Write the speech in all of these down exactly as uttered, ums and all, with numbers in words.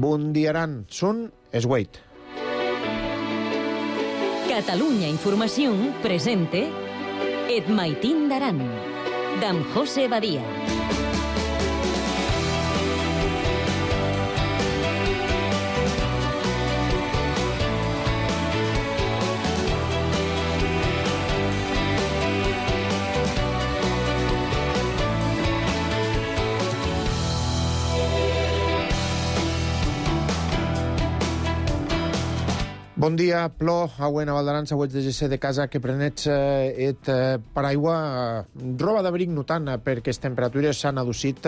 Bundiaran, són Esweit. Catalunya Informació presente Et Maitín d'Aran, d'en José Badia. Bon dia, Plor, auen a Valdaran, següents de G C de casa que prenets eh, et eh, paraigua, eh, roba d'abric no tant, eh, perquè les temperatures s'han adocit,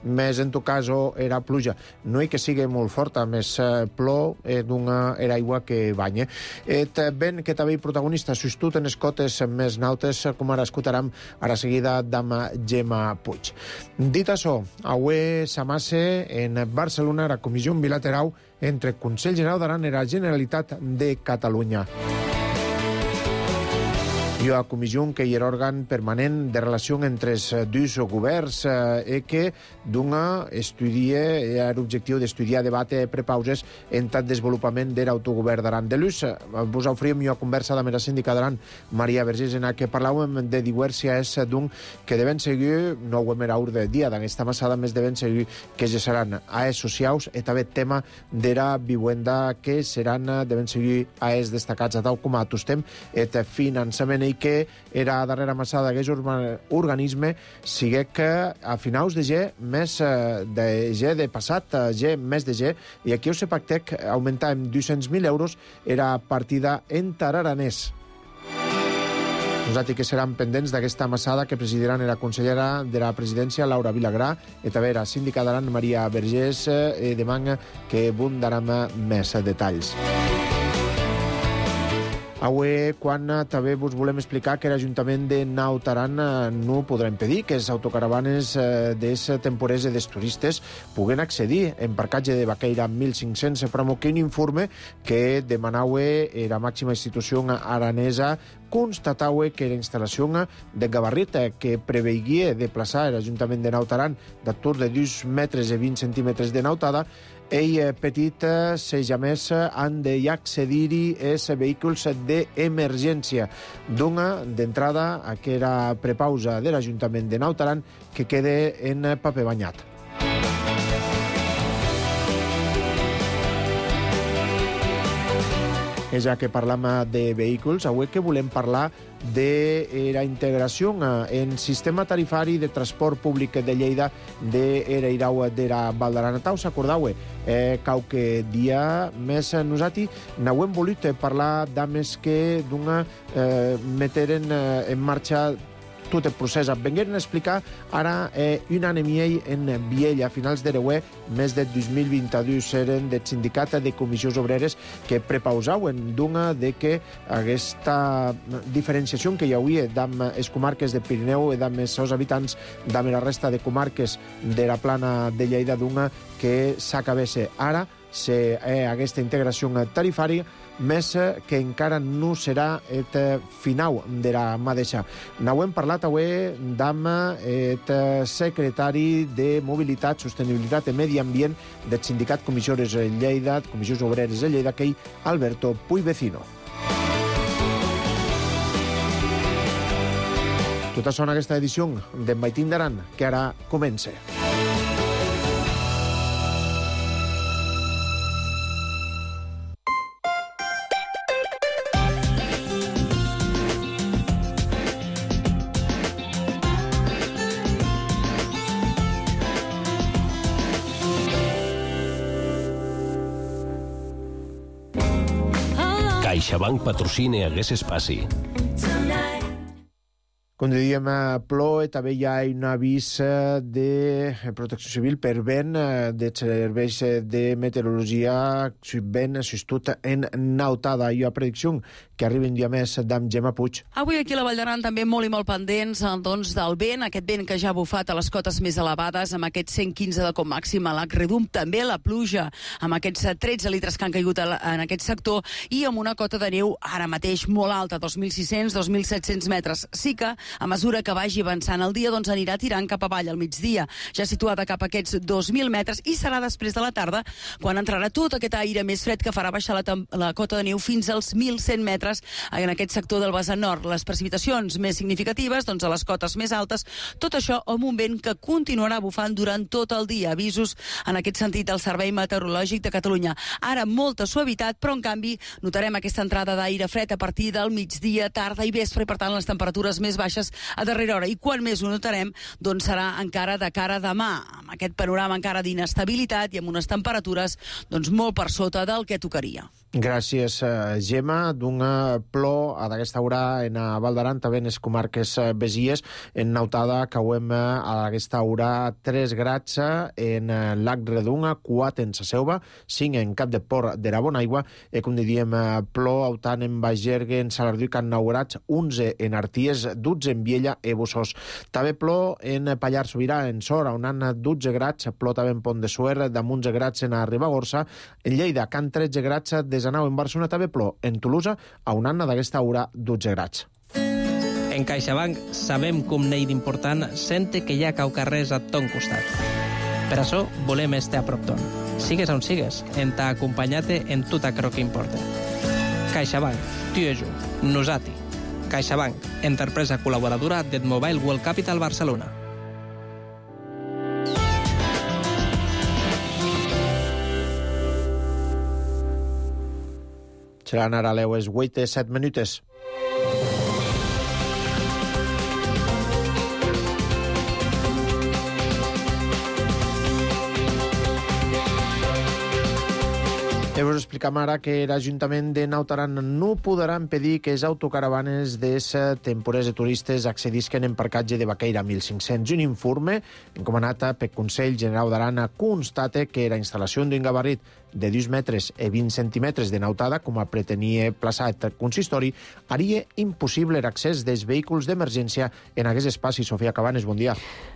més en tot cas era pluja. No hi que sigui molt forta, més eh, plor eh, d'una era aigua que banya. Et ben que també protagonista sostut en escotes més nautes, com ara escoltarem a la seguida d'ama Gemma Puig. Dit això, avui s'amasse en Barcelona la comissió bilateral entre Consell General d'Aran i la Generalitat de Catalunya. I la comissió que hi era òrgan permanent de relació entre els dos governs eh, que d'una estudia, era l'objectiu d'estudiar, debate, prepauses en tant desenvolupament de l'autogovern d'Aran de l'U S. Vos oferim una conversa amb la síndica d'Aran, Maria Vergés, en què parlàvem de diverses d'un que deben seguir, no ho hem era ur de dia, d'aquesta massada més deben seguir que ja seran AES socials i també tema de la vivienda que seran, deben seguir AES destacats a tal com a tostem et finançament i que era darrera massada d'aquest organisme sigue que a finals de G, més de G de passat, G, més de G, i aquí ho se pactec augmentar en dos-cents mil euros era partida en tararanès. Nosaltres que seran pendents d'aquesta massada que presidiran la consellera de la presidència, Laura Vilagrà, i també la síndica d'Aran, Maria Vergés, i demana que abundaran més detalls. Avui, quan també vos volem explicar que l'Ajuntament de Naut Aran no podrà impedir que les autocaravanes dels temporers i dels turistes puguen accedir en parcatge de Baqueira mil cinc-cents, però que un informe que demanava la màxima institució aranesa constatava que la instal·lació de gabarrit que preveia de plaçar l'Ajuntament de Naut Aran d'atur de dos metres i vint centímetres de nautada, ell petit, seja més, han d'accedir-hi els vehicles d'emergència. D'una, d'entrada, a que era prepausa de l'Ajuntament de Naut Aran que quede en paper banyat. És ja que parlam de vehicles, avui que volem parlar de la integració en sistema tarifari de transport públic de Lleida de Ereirau de la Val d'Aran. Us acordau, eh, qualque dia més nosaltres n'hem volut parlar d'ames que d'una eh, meteren en marxa tot el procés. Vengueren a explicar ara eh, un any i mig en Viella, a finals d'Ereuer, més de dos mil vint-i-dos, eren del sindicat de comissions obreres que prepausaven d'una de que aquesta diferenciació que hi hauria amb les comarques de Pirineu i amb els seus habitants amb la resta de comarques de la plana de Lleida d'una que s'acabés ara se, eh, aquesta integració tarifària, més que encara no serà el final de la mateixa. N'hem parlat avui amb el secretari de Mobilitat, Sostenibilitat i Medi Ambient del sindicat Comissions Lleida, Comissions Obreres de Lleida, que és Alberto Puig-Vecino. Tot això en aquesta edició d'en Maitín d'Aran, que ara comença. CaixaBank patrocina Hagués Espaci. Com dèiem, plou, també hi ha un avís de protecció civil per vent de serveis de meteorologia vent sostut en nautada. Hi ha predicció que arriba un dia més d'en Gemma Puig. Avui aquí a la Vall d'Aran també molt i molt pendents doncs, del vent, aquest vent que ja ha bufat a les cotes més elevades, amb aquests cent quinze de com màxim a l'Acredum, també la pluja, amb aquests tretze litres que han caigut en aquest sector, i amb una cota de neu ara mateix molt alta, dos mil sis-cents, dos mil set-cents metres. Sí que a mesura que vagi avançant el dia, doncs anirà tirant cap avall al migdia, ja situada cap a aquests dos mil metres, i serà després de la tarda quan entrarà tot aquest aire més fred que farà baixar la, la cota de neu fins als mil cent metres en aquest sector del vessant nord. Les precipitacions més significatives, doncs a les cotes més altes, tot això amb un vent que continuarà bufant durant tot el dia. Avisos en aquest sentit del Servei Meteorològic de Catalunya. Ara molta suavitat, però en canvi notarem aquesta entrada d'aire fred a partir del migdia, tarda i vespre, i per tant les temperatures més baixes a darrera hora. I quan més ho notarem, doncs serà encara de cara a demà, amb aquest panorama encara d'inestabilitat i amb unes temperatures doncs molt per sota del que tocaria. Gràcies, Gemma. D'un plor a d'aquesta hora en Val d'Aran, també en les comarques besies, en nautada cauem a aquesta hora tres grads en Lac Redunga, quatre en sa Selva, cinc en Cap de Port de la Bonaigua, i com diríem, plor autant en Bagergue, en Salardú i Can Naurats, onze en Arties, dotze en Viella i Bossós. També plor en Pallar Sobirà, en Sora, on han dotze grads, plor també en Pont de Suert, damunt onze grads en Ribagorça, en Lleida, Can tretze grads, des Anau en Barcelona, també plor en Tolosa, a un anna d'aquesta hora dotze grads. En CaixaBank sabem com n'hi d'important sente que hi ha cau carrers a ton costat. Per això volem estar a prop ton. Sigues on sigues, en t'ha acompanyat-te en tot aquello que importa. CaixaBank, tu i jo, nosati. CaixaBank, empresa col·laboradora del Mobile World Capital Barcelona. Seran ara les vuit i set minutes. I us explicam ara que l'Ajuntament de Naut Aran no podrà impedir que les autocaravanes des temporers de turistes accedisquen en parcatge de Baqueira mil cinc-cents. Un informe encomanat pel Consell General d'Aran constate que la instal·lació d'un gabarrit de dos metres i vint centímetres de nautada, com a pretenia plaçar el consistori, haria impossible l'accés dels vehicles d'emergència en aquest espaci. Sofia Cabanes, bon dia.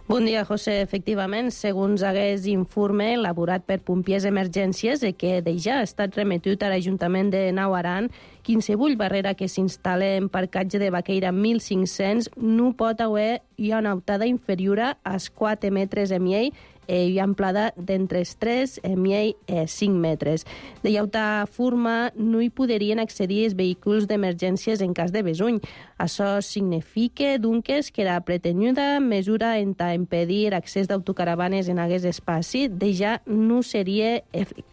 Bon dia, José. Efectivament, segons aquest informe elaborat per Pompiers Emergències, que ja ha estat remetut a l'Ajuntament de Naut Aran, qualsevol barrera que s'instal·la en parcatge de Baqueira mil cinc-cents no pot haver una nautada inferior als quatre metres i mig i amplada d'entre els tres i cinc metres. De llauta forma no hi podrien accedir els vehicles d'emergències en cas de besuny. Això significa, doncs, que la pretenuda mesura en ta impedir l'accés d'autocaravanes en aquest espaci de ja no seria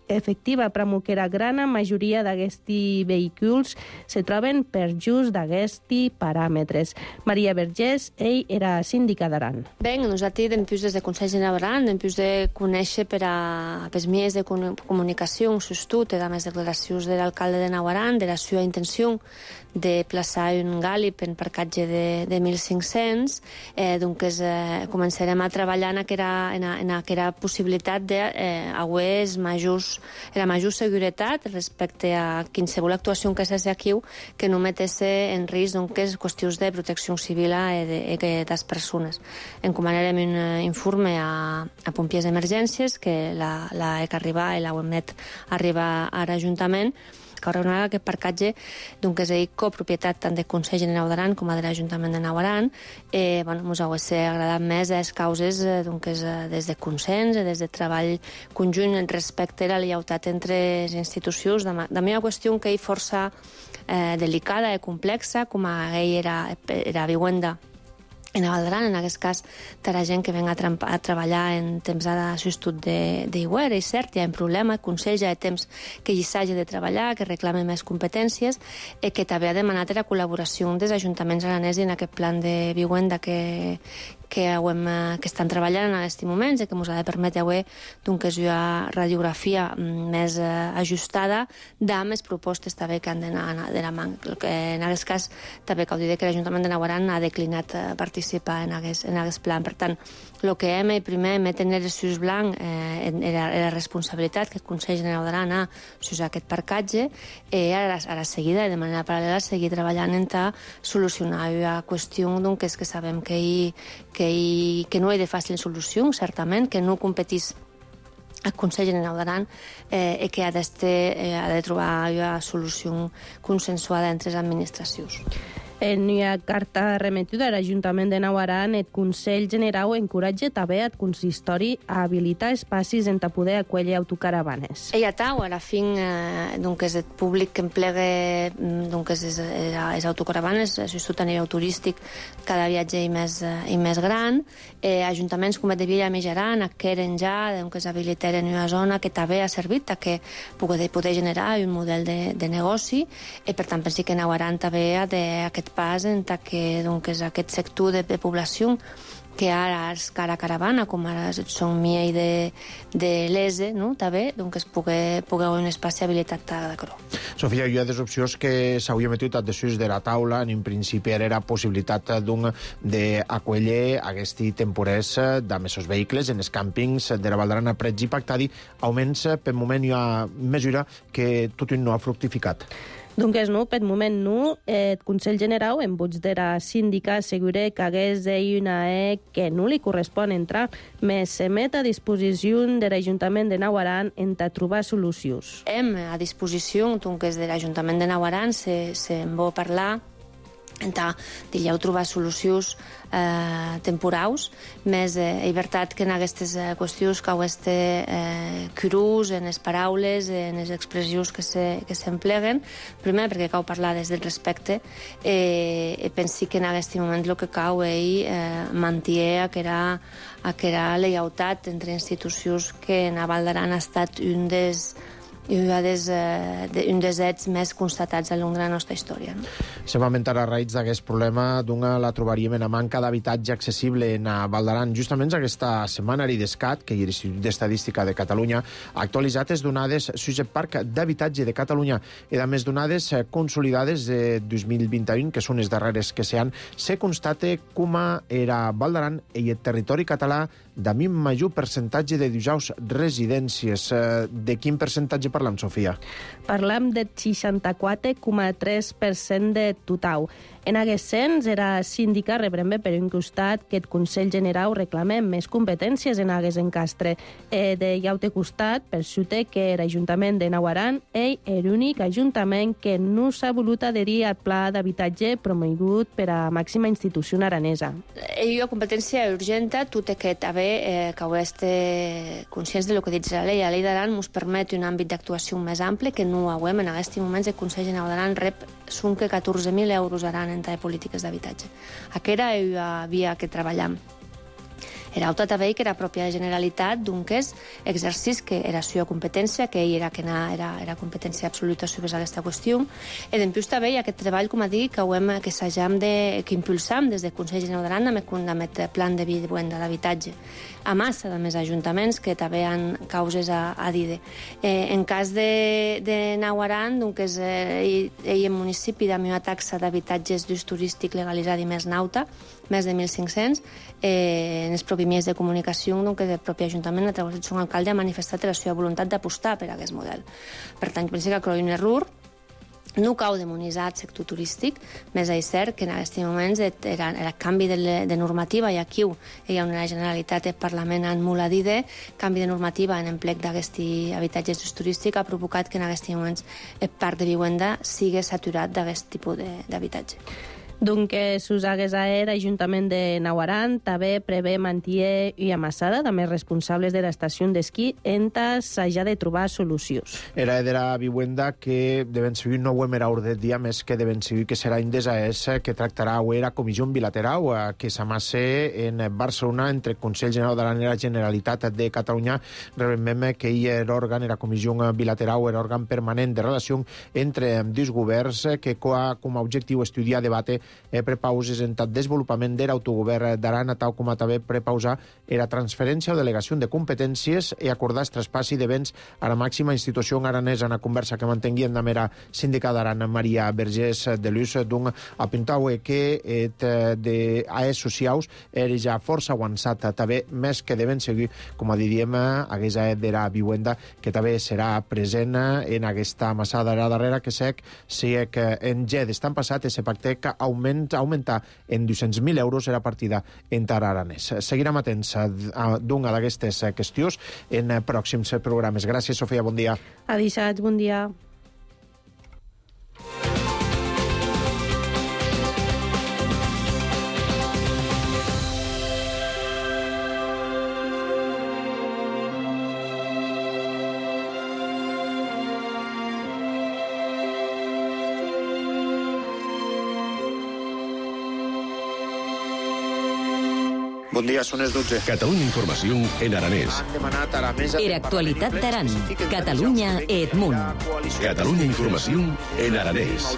efectiva, però que la gran majoria d'aquests vehicles se troben per just d'aquests paràmetres. Maria Vergés, ell era síndica d'Aran. Bé, nosaltres, dempués des de Consell General d'Aran, dempués de conèixer per a les vies de comunicació sostut i les declaracions de l'alcalde de Naut Aran de la seva intenció de plaçar un gàlib en parcatge de, de mil cinc-cents, eh, doncs eh, començarem a treballar en aquella, en, en aquella possibilitat de eh, haver majors, la major seguretat respecte a qualsevol actuació que s'hagi aquí que no metesse en risc doncs, qüestions de protecció civil i de, de les persones. Encomanarem un informe a, a Pompiers d'Emergències, que la, la he que arribar i la hem net arribar a l'Ajuntament, que haurà aquest parcatge doncs, és coproprietat tant del Consell General d'Aran com de l'Ajuntament de Naut Aran. Eh, bueno, ens hauria agradat més les causes doncs, des de consens, des de treball conjunt respecte a la lleialtat entre les institucions. De la meva qüestió que és força eh, delicada i complexa, com a ell era, era vivenda en Val d'Aran, en aquest cas, de la gent que ven a, a treballar en temps de substitut d'iguer, és cert, hi ha un problema, el Consell ja ha temps que hi s'hagi de treballar, que reclame més competències, i que també ha demanat la col·laboració dels ajuntaments aranesi en aquest plan de vivenda que, que, hem, que estan treballant en aquests moments i que ens ha de permetre avui doncs, una radiografia més ajustada amb les propostes també que han d'anar de la mà. En aquest cas, també cal dir que l'Ajuntament de Naut Aran ha declinat participar en aquest, en aquest plan. Per tant, el que hem primer hem de tenir el sus blanc eh, era, era la responsabilitat que el Consell General d'Aran ha s'usar aquest parcatge i ara, a la seguida, de manera paral·lela, seguir treballant en ta solucionar la qüestió doncs, és que sabem que, hi, que, hi, que no hi ha de fàcil solució, certament, que no competís el Consell General d'Aran eh, i que ha, eh, ha de trobar una solució consensuada entre les administracions. En una carta remetuda a l'Ajuntament de Nauaran, el Consell Generau encoratja també el consistori a habilitar espais en poder acollir autocaravanes. Ella tau, a la fin, eh, donc és el públic que emplega donc és, és, és autocaravanes, sobretot a nivell turístic, cada viatge i més, i més gran. Eh, ajuntaments com el de Villa Mejaran, adqueren ja, donc és habilitar en una zona que també ha servit a que poder, poder generar un model de, de negoci, i per tant penso que Nauaran també ha d'aquest pas en que donc, és aquest sector de, de població que ara és cara caravana, com ara són Mia i de, de l'E S E, no? també, doncs es pugui, pugui haver un espai habilitat de Cro. Sofia, hi ha des opcions que s'hauria metut a desús de la taula, en principi era possibilitat d'acollir aquest temporers de mesos vehicles en els càmpings de la Val d'Aran a Prets i Pactadi, augments per moment hi ha mesura que tot no ha fructificat. Doncs no, per moment no. El Consell Generau, en vots de la síndica, assegura que hagués una E que no li correspon entrar, més se met a disposició de l'Ajuntament de Nauaran en trobar solucions. Hem a disposició, doncs, de l'Ajuntament de Nauaran, se, se en vol parlar, entà dilleu trobar solucions eh, temporaus, més eh, llibertat que en aquestes eh, qüestions que aquest eh, crus en les paraules, en les expressions que s'empleguen, se, primer perquè cal parlar des del respecte, eh, i pensi que en aquest moment el que cal és eh, mantenir aquella, aquella lleialtat entre institucions que en Val d'Aran ha estat un dels i un dels, eh, un dels ets més constatats a l'long de la nostra història. No? Se va mentar a raïs d'aquest problema, d'una la trobaríem en la manca d'habitatge accessible en Val d'Aran. Justament aquesta setmana l'Idescat, que és l'Institut d'Estadística de Catalunya, ha actualitzat les donades sus el Parc d'Habitatge de Catalunya i a més donades consolidades de dos mil vint u, que són les darreres que s'han, se constate com era Val d'Aran i el territori català de mi major percentatge de dijous residències. De quin percentatge parlam, Sofia? Parlam del seixanta-quatre coma tres per cent de total. En aquest sens, era síndica rebrem per un costat que el Consell Generau reclama més competències en aquest encastre. E de l'altre costat, per sota que l'Ajuntament de Nauaran és l'únic ajuntament que no s'ha volut adherir al pla d'habitatge promogut per a màxima institució aranesa. Hi ha competència urgent, tot aquest haver eh, que heu estat conscients del que diu la llei. La llei d'Aran ens permet un àmbit d'actuació més ample que no ho hem. En aquest moment el Consell Generau d'Aran rep que catorze mil euros Aran en polítiques d'habitatge. Aquesta és la via que treballem. Era altra també que era pròpia Generalitat, doncs exercís que era la seva competència, que ell era, que era, era competència absoluta sobre aquesta qüestió. I després també hi ha aquest treball, com a dir, que, hem, que s'hagam de, que impulsam des del Consell Generau d'Aran amb el plan de vivenda d'habitatge. A massa de més ajuntaments que també han causes a, a dir. Eh, en cas de, de Nauaran, doncs eh, ell en municipi amb una taxa d'habitatges d'ús turístic legalitzada i més nauta, més de mil cinc-cents, eh, en els propis mitjans de comunicació, doncs el propi Ajuntament, a través del seu alcalde, ha manifestat la seva voluntat d'apostar per a aquest model. Per tant, penso que creu un error. No cal demonitzar el sector turístic, més és cert que en aquests moments era el canvi de, de normativa, i aquí hi ha una Generalitat i el Parlament han molt a dir de canvi de normativa en emplec d'aquest habitatge d'ús turístic ha provocat que en aquests moments el parc de vivenda sigui saturat d'aquest tipus d'habitatge. Donc, que s'us hagués a l'Ajuntament de Nauaran també prevé mantenir i amassada també responsables de l'estació d'esquí entes s'haja de trobar solucions. Era de la vivenda que deben seguir no ho hem era ordre dia més que deben seguir que serà Indesa S que tractarà o era comissió bilateral que s'amasse en Barcelona entre el Consell Generau de la Generalitat de Catalunya. Recordem que hi era òrgan, era comissió bilateral, era òrgan permanent de relació entre dos governs que com a objectiu estudiar, debate eh, prepauses en el desenvolupament de l'autogovern d'Aran, tal com a també prepausar era transferència o delegació de competències i acordar el traspassi de béns a la màxima institució aranesa. En la conversa que mantenguien amb la síndica d'Aran, Maria Vergés de Luz, d'un apuntau que et de A E S socials era ja força avançat, també més que deben seguir, com a diríem, aquesta de la vivenda, que també serà present en aquesta massada darrera que sec, si que en G d'estan passat, ese pacte que augment, augmentar en dos-cents mil euros la partida entre aranès. Seguirem atents d'una d'aquestes qüestions en pròxims programes. Gràcies, Sofia, bon dia. Adisats, bon dia. Bon dia, són les dotze. Catalunya Informació en aranès. Han demanat a la mesa... Era actualitat d'Aran. Catalunya Edmunt. Catalunya Informació en aranès.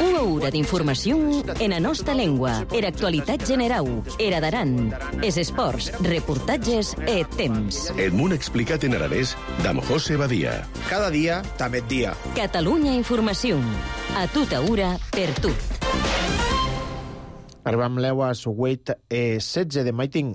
Una hora d'informació en la nostra llengua. Era actualitat general. Era d'Aran. Es esports, reportatges e temps. Edmunt explicat en aranès d'Am José Badia. Cada dia, també dia. Catalunya Informació. A tota hora, per tu. Arribam l'eu a Sugueit e setze de Maiting.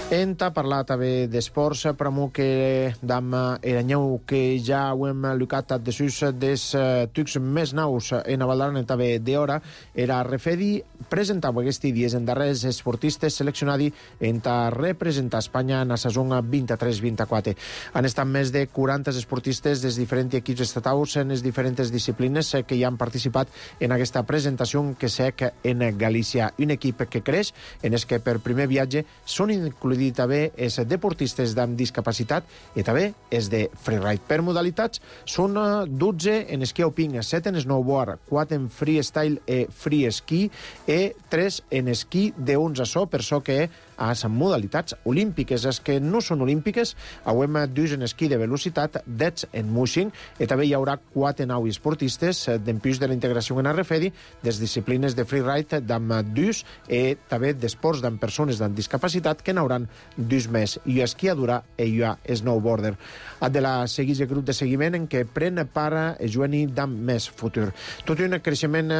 Enta parlar també d'esports, pramo que dam eranyeu que ja ho hem lucat de sus des tucs més naus en Avaldaran també d'hora, era refedi presentava aquests dies en darrers esportistes seleccionats enta representar Espanya en la saison vint-i-tres vint-i-quatre. Han estat més de quaranta esportistes dels diferents equips estatals en les diferents disciplines que hi han participat en aquesta presentació que sec en Galícia. Un equip que creix en el que per primer viatge són incluïts també els deportistes amb discapacitat i també els de freeride. Per modalitats són dotze en esquí alpin, set en snowboard, quatre en freestyle e free ski i tres en esquí d'onze so, per so que a les modalitats olímpiques. Les que no són olímpiques, hauem dus en esquí de velocitat, dez en mushing, i també hi haurà quatre nou esportistes d'empús de la integració en Arrefedi, des disciplines de freeride d'amb dus i també d'esports d'amb persones amb discapacitat que n'hauran dus més. Hi ha esquiadura i hi ha snowboarder. Ha de la seguir el grup de seguiment en què pren part Joani d'amb més futur. Tot un creixement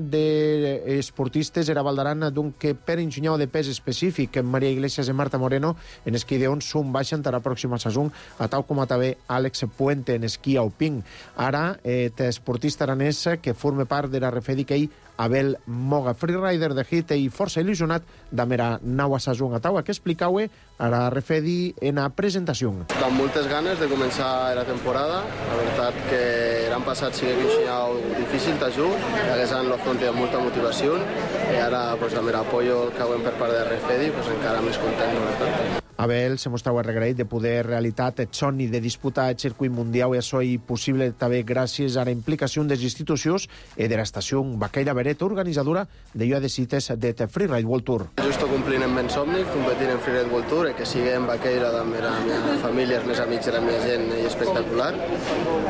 d'esportistes era Valdaran, donc que per enginyar de pes específic Maria Iglesias i Marta Moreno en esquí d'on són baixen a la pròxima saison, a tal com a també Àlex Puente en esquí alpin. Ara, eh, esportista aranès que forma part de la refedi que ell Abel Moga, freerider de hit i força il·lusionat d'amera naua saison a taua que explicau a la refedi en la presentació. Amb moltes ganes de començar la temporada. La veritat que l'any passat sí que vinxinau difícil t'ajut, que haguessin l'afronti amb molta motivació i ara pues, amb l'apoyo que haguem per part de refedi pues, encara més content, la veritat. Abel se mostrava regraït de poder realitat el somni de disputar el circuit mundial i això és possible també gràcies a la implicació de les institucions i de l'estació Baqueira Beret, organitzadora de lloa de cites de Freeride World Tour. Justo complint el meu somni, competint en Freeride World Tour, i que sigui en Baqueira amb la meva família, els meus amics i la meva gent, és espectacular.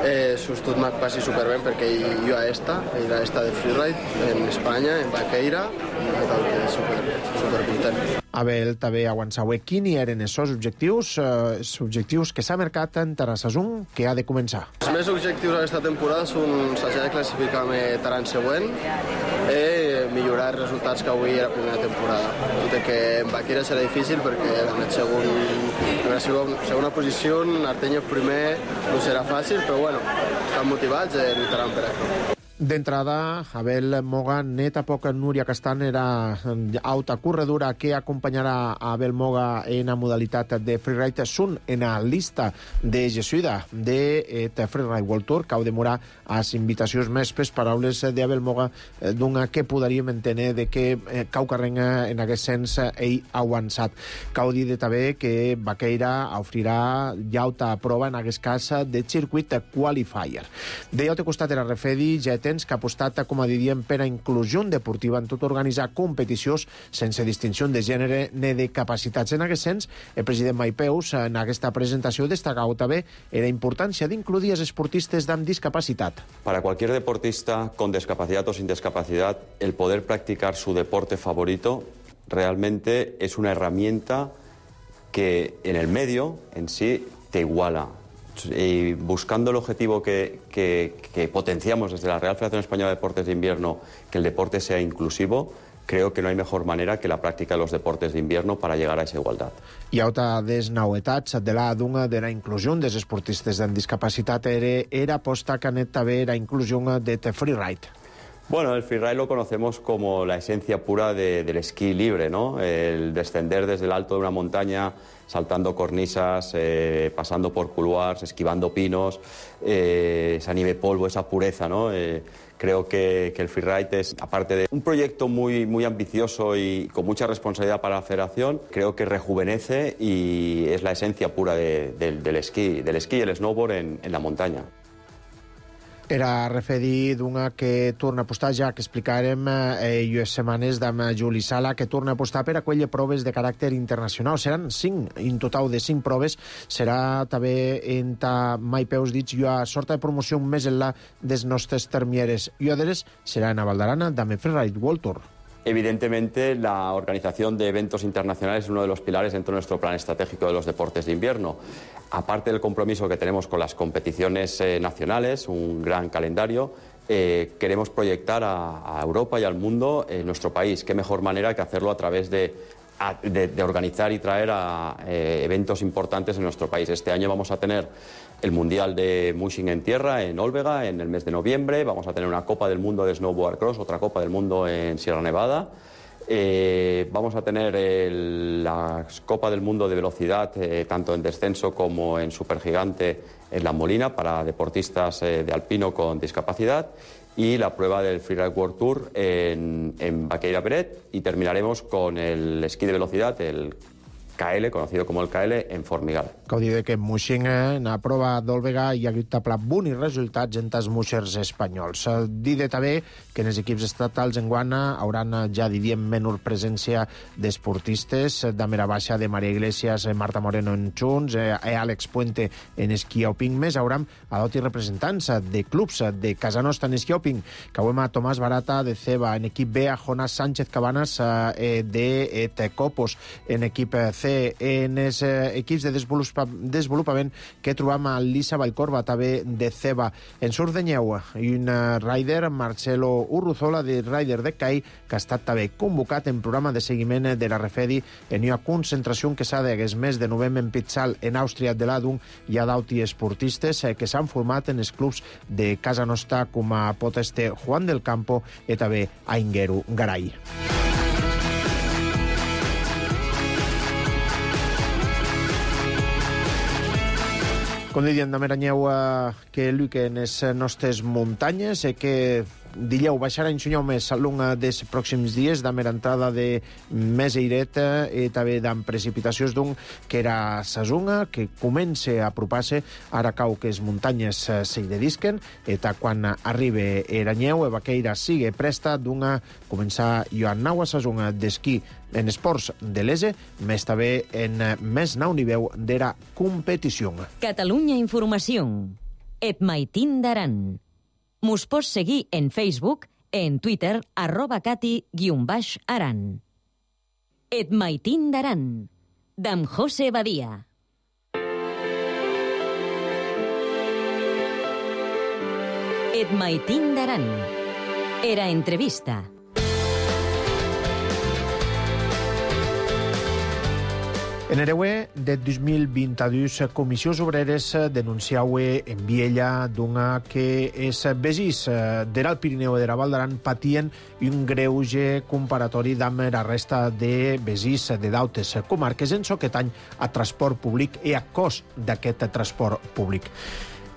Eh, Sustot m'ha passi superben perquè jo a esta, era esta de Freeride en Espanya, en Baqueira, i tot que super, super content. Abel també aguançau quins eren els seus objectius, eh, els objectius que s'ha marcat en la saison que ha de començar. Els meus objectius aquesta temporada són s'ha de classificar-me l'any següent i millorar els resultats que avui a la primera temporada. Tot i que en Baqueira serà difícil perquè en el segon, en la segona posició, Artenya primer no serà fàcil, però bueno, estan motivats i lluitaran per això. D'entrada, Abel Moga, net a poc Núria Castan era alta corredora que acompanyarà a Abel Moga en la modalitat de freeride. Són en la lista de Jesuïda de Freeride World Tour, que heu de demorar a les invitacions més per paraules d'Abel Moga, d'una que podríem entendre de que cau carrenga en aquest sens ell ha avançat. Cau dir també que Baqueira ofrirà ja alta prova en aquest cas de circuit qualifier. De l'altre costat de la refedi ja tens que ha apostat, com a diríem, per a inclusió deportiva en tot organitzar competicions sense distinció de gènere ni de capacitats. En aquest sens, el president Maipeus, en aquesta presentació, destacau també la importància d'incluir els esportistes amb discapacitat. Para cualquier deportista con discapacidad o sin discapacidad, el poder practicar su deporte favorito realmente es una herramienta que en el medio en sí te iguala. Y buscando el objetivo que, que, que potenciamos desde la Real Federación Española de Deportes de Invierno, que el deporte sea inclusivo, creo que no hay mejor manera que la práctica de los deportes de invierno para llegar a esa igualdad. Hi ha alta des novetats de la d'una de la inclusió dels esportistes amb discapacitat era, era aposta que anet també la inclusió de freeride. Bueno, el freeride lo conocemos como la esencia pura de, del esquí libre, ¿no? El descender desde el alto de una montaña, saltando cornisas, eh, pasando por couloirs, esquivando pinos, eh, esa nieve polvo, esa pureza, ¿no? Eh, creo que, que el freeride es, aparte de un proyecto muy, muy ambicioso y con mucha responsabilidad para la federación, creo que rejuvenece y es la esencia pura de, de, del esquí, del esquí y el snowboard en, en la montaña. Era referi d'una que torna a apostar, ja que explicarem eh, llues setmanes d'am Juli Sala, que torna a apostar per aquelles proves de caràcter internacional. Seran cinc, en total de cinc proves. Serà també en ta mai peus dits jo a sorta de promoció més en la des nostres termieres. I others serà en a Valdarana d'am Freeride World Tour. Evidentemente, la organización de eventos internacionales es uno de los pilares dentro de nuestro plan estratégico de los deportes de invierno. Aparte del compromiso que tenemos con las competiciones eh, nacionales, un gran calendario, eh, queremos proyectar a, a Europa y al mundo eh, nuestro país. Qué mejor manera que hacerlo a través de, a, de, de organizar y traer a eh, eventos importantes en nuestro país. Este año vamos a tener el Mundial de Mushing en tierra en Olvega en el mes de noviembre. Vamos a tener una Copa del Mundo de Snowboard Cross, otra Copa del Mundo en Sierra Nevada. Eh, vamos a tener el, la Copa del Mundo de Velocidad, eh, tanto en descenso como en supergigante en La Molina, para deportistas eh, de alpino con discapacidad. Y la prueba del Freeride World Tour en, en Baqueira Beret. Y terminaremos con el esquí de velocidad, el K L, conocido como el K L, en Formigal. Cal dir que Mushing, en la prova d'Òlvega, hi ha hagut taplat bons resultats en els muixers espanyols. Dir també que en els equips estatals en Guana hauran ja, diríem, menor presència d'esportistes, de Mera Baixa, de Maria Iglesias, Marta Moreno en Junts, eh, Àlex Puente en esquioping, més hauran a doti representants de clubs de casa nostra en esquioping, que avui a Tomàs Barata de Ceba, en equip B a Jonás Sánchez Cabanas eh, de Tecopos, en equip C, en els eh, equips de desenvolupament desenvolupament que trobam a Lisa Vallcorba, també de Ceba. En surf de Nyeu, un rider, Marcelo Urruzola, de Rider de Cai, que ha estat també convocat en programa de seguiment de la Refedi en una concentració que s'ha d'hagués mes de novembre en Pitzal, en Àustria de l'Adung. Hi ha d'auti esportistes que s'han format en els clubs de casa nostra, com a pot este Juan del Campo i també a Inguero Garay. Com diem, de Meranyeu, que lluica en les nostres muntanyes, que dileu baixarà en sunyau més al long dels pròxims dies, de mera entrada de més airet i també d'en precipitacions d'un que era sazonga, que comença a apropar-se, ara cau que les muntanyes s'hi dedisquen, i quan arribi Eranyeu, Baqueira sigue presta d'una començar jo a nau a sazonga d'esquí en esports de l'E S E, més també en més nau nivell d'era competició. Catalunya Informació. Et maitin d'aran. Mos pots seguir en Facebook, en Twitter, arroba cati guion baix aran. Et maitin d'aran. D'am José Badia. Et maitin d'aran. Era entrevista. En Ereue, de dos mil vint-i-dos, Comissions Obreres denunciau en Viella d'una que es vesís de l'Alt Pirineu i de la Val d'Aran patien un greuge comparatori amb la resta de vesís de d'altres comarques en aquest any a transport públic i a cost d'aquest transport públic.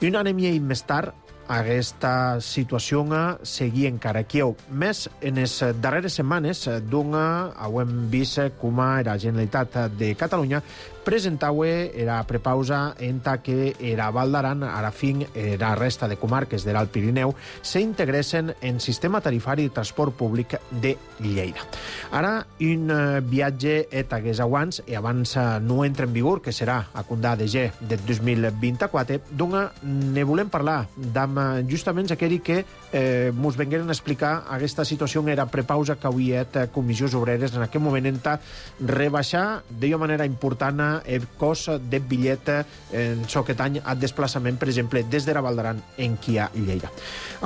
Un any i mig més tard, aquesta situació seguia encara aquí. Més en les darreres setmanes, d'una hem vist com la Generalitat de Catalunya presentava la prepausa en que era Val d'Aran, ara fin, la resta de comarques de l'Alt Pirineu, s'integressin en sistema tarifari de transport públic de Lleida. Ara, un viatge et hagués abans, i abans no entra en vigor, que serà a Condà de G de dos mil vint-i-quatre, d'una ne volem parlar d'am justament aquell que eh, mos vengueren a explicar aquesta situació era prepausa que havia Comissions Obreres en aquest moment en rebaixar d'una manera important el cost del bitllet en aquest any a desplaçament, per exemple, des de la Val d'Aran en qui a Lleida.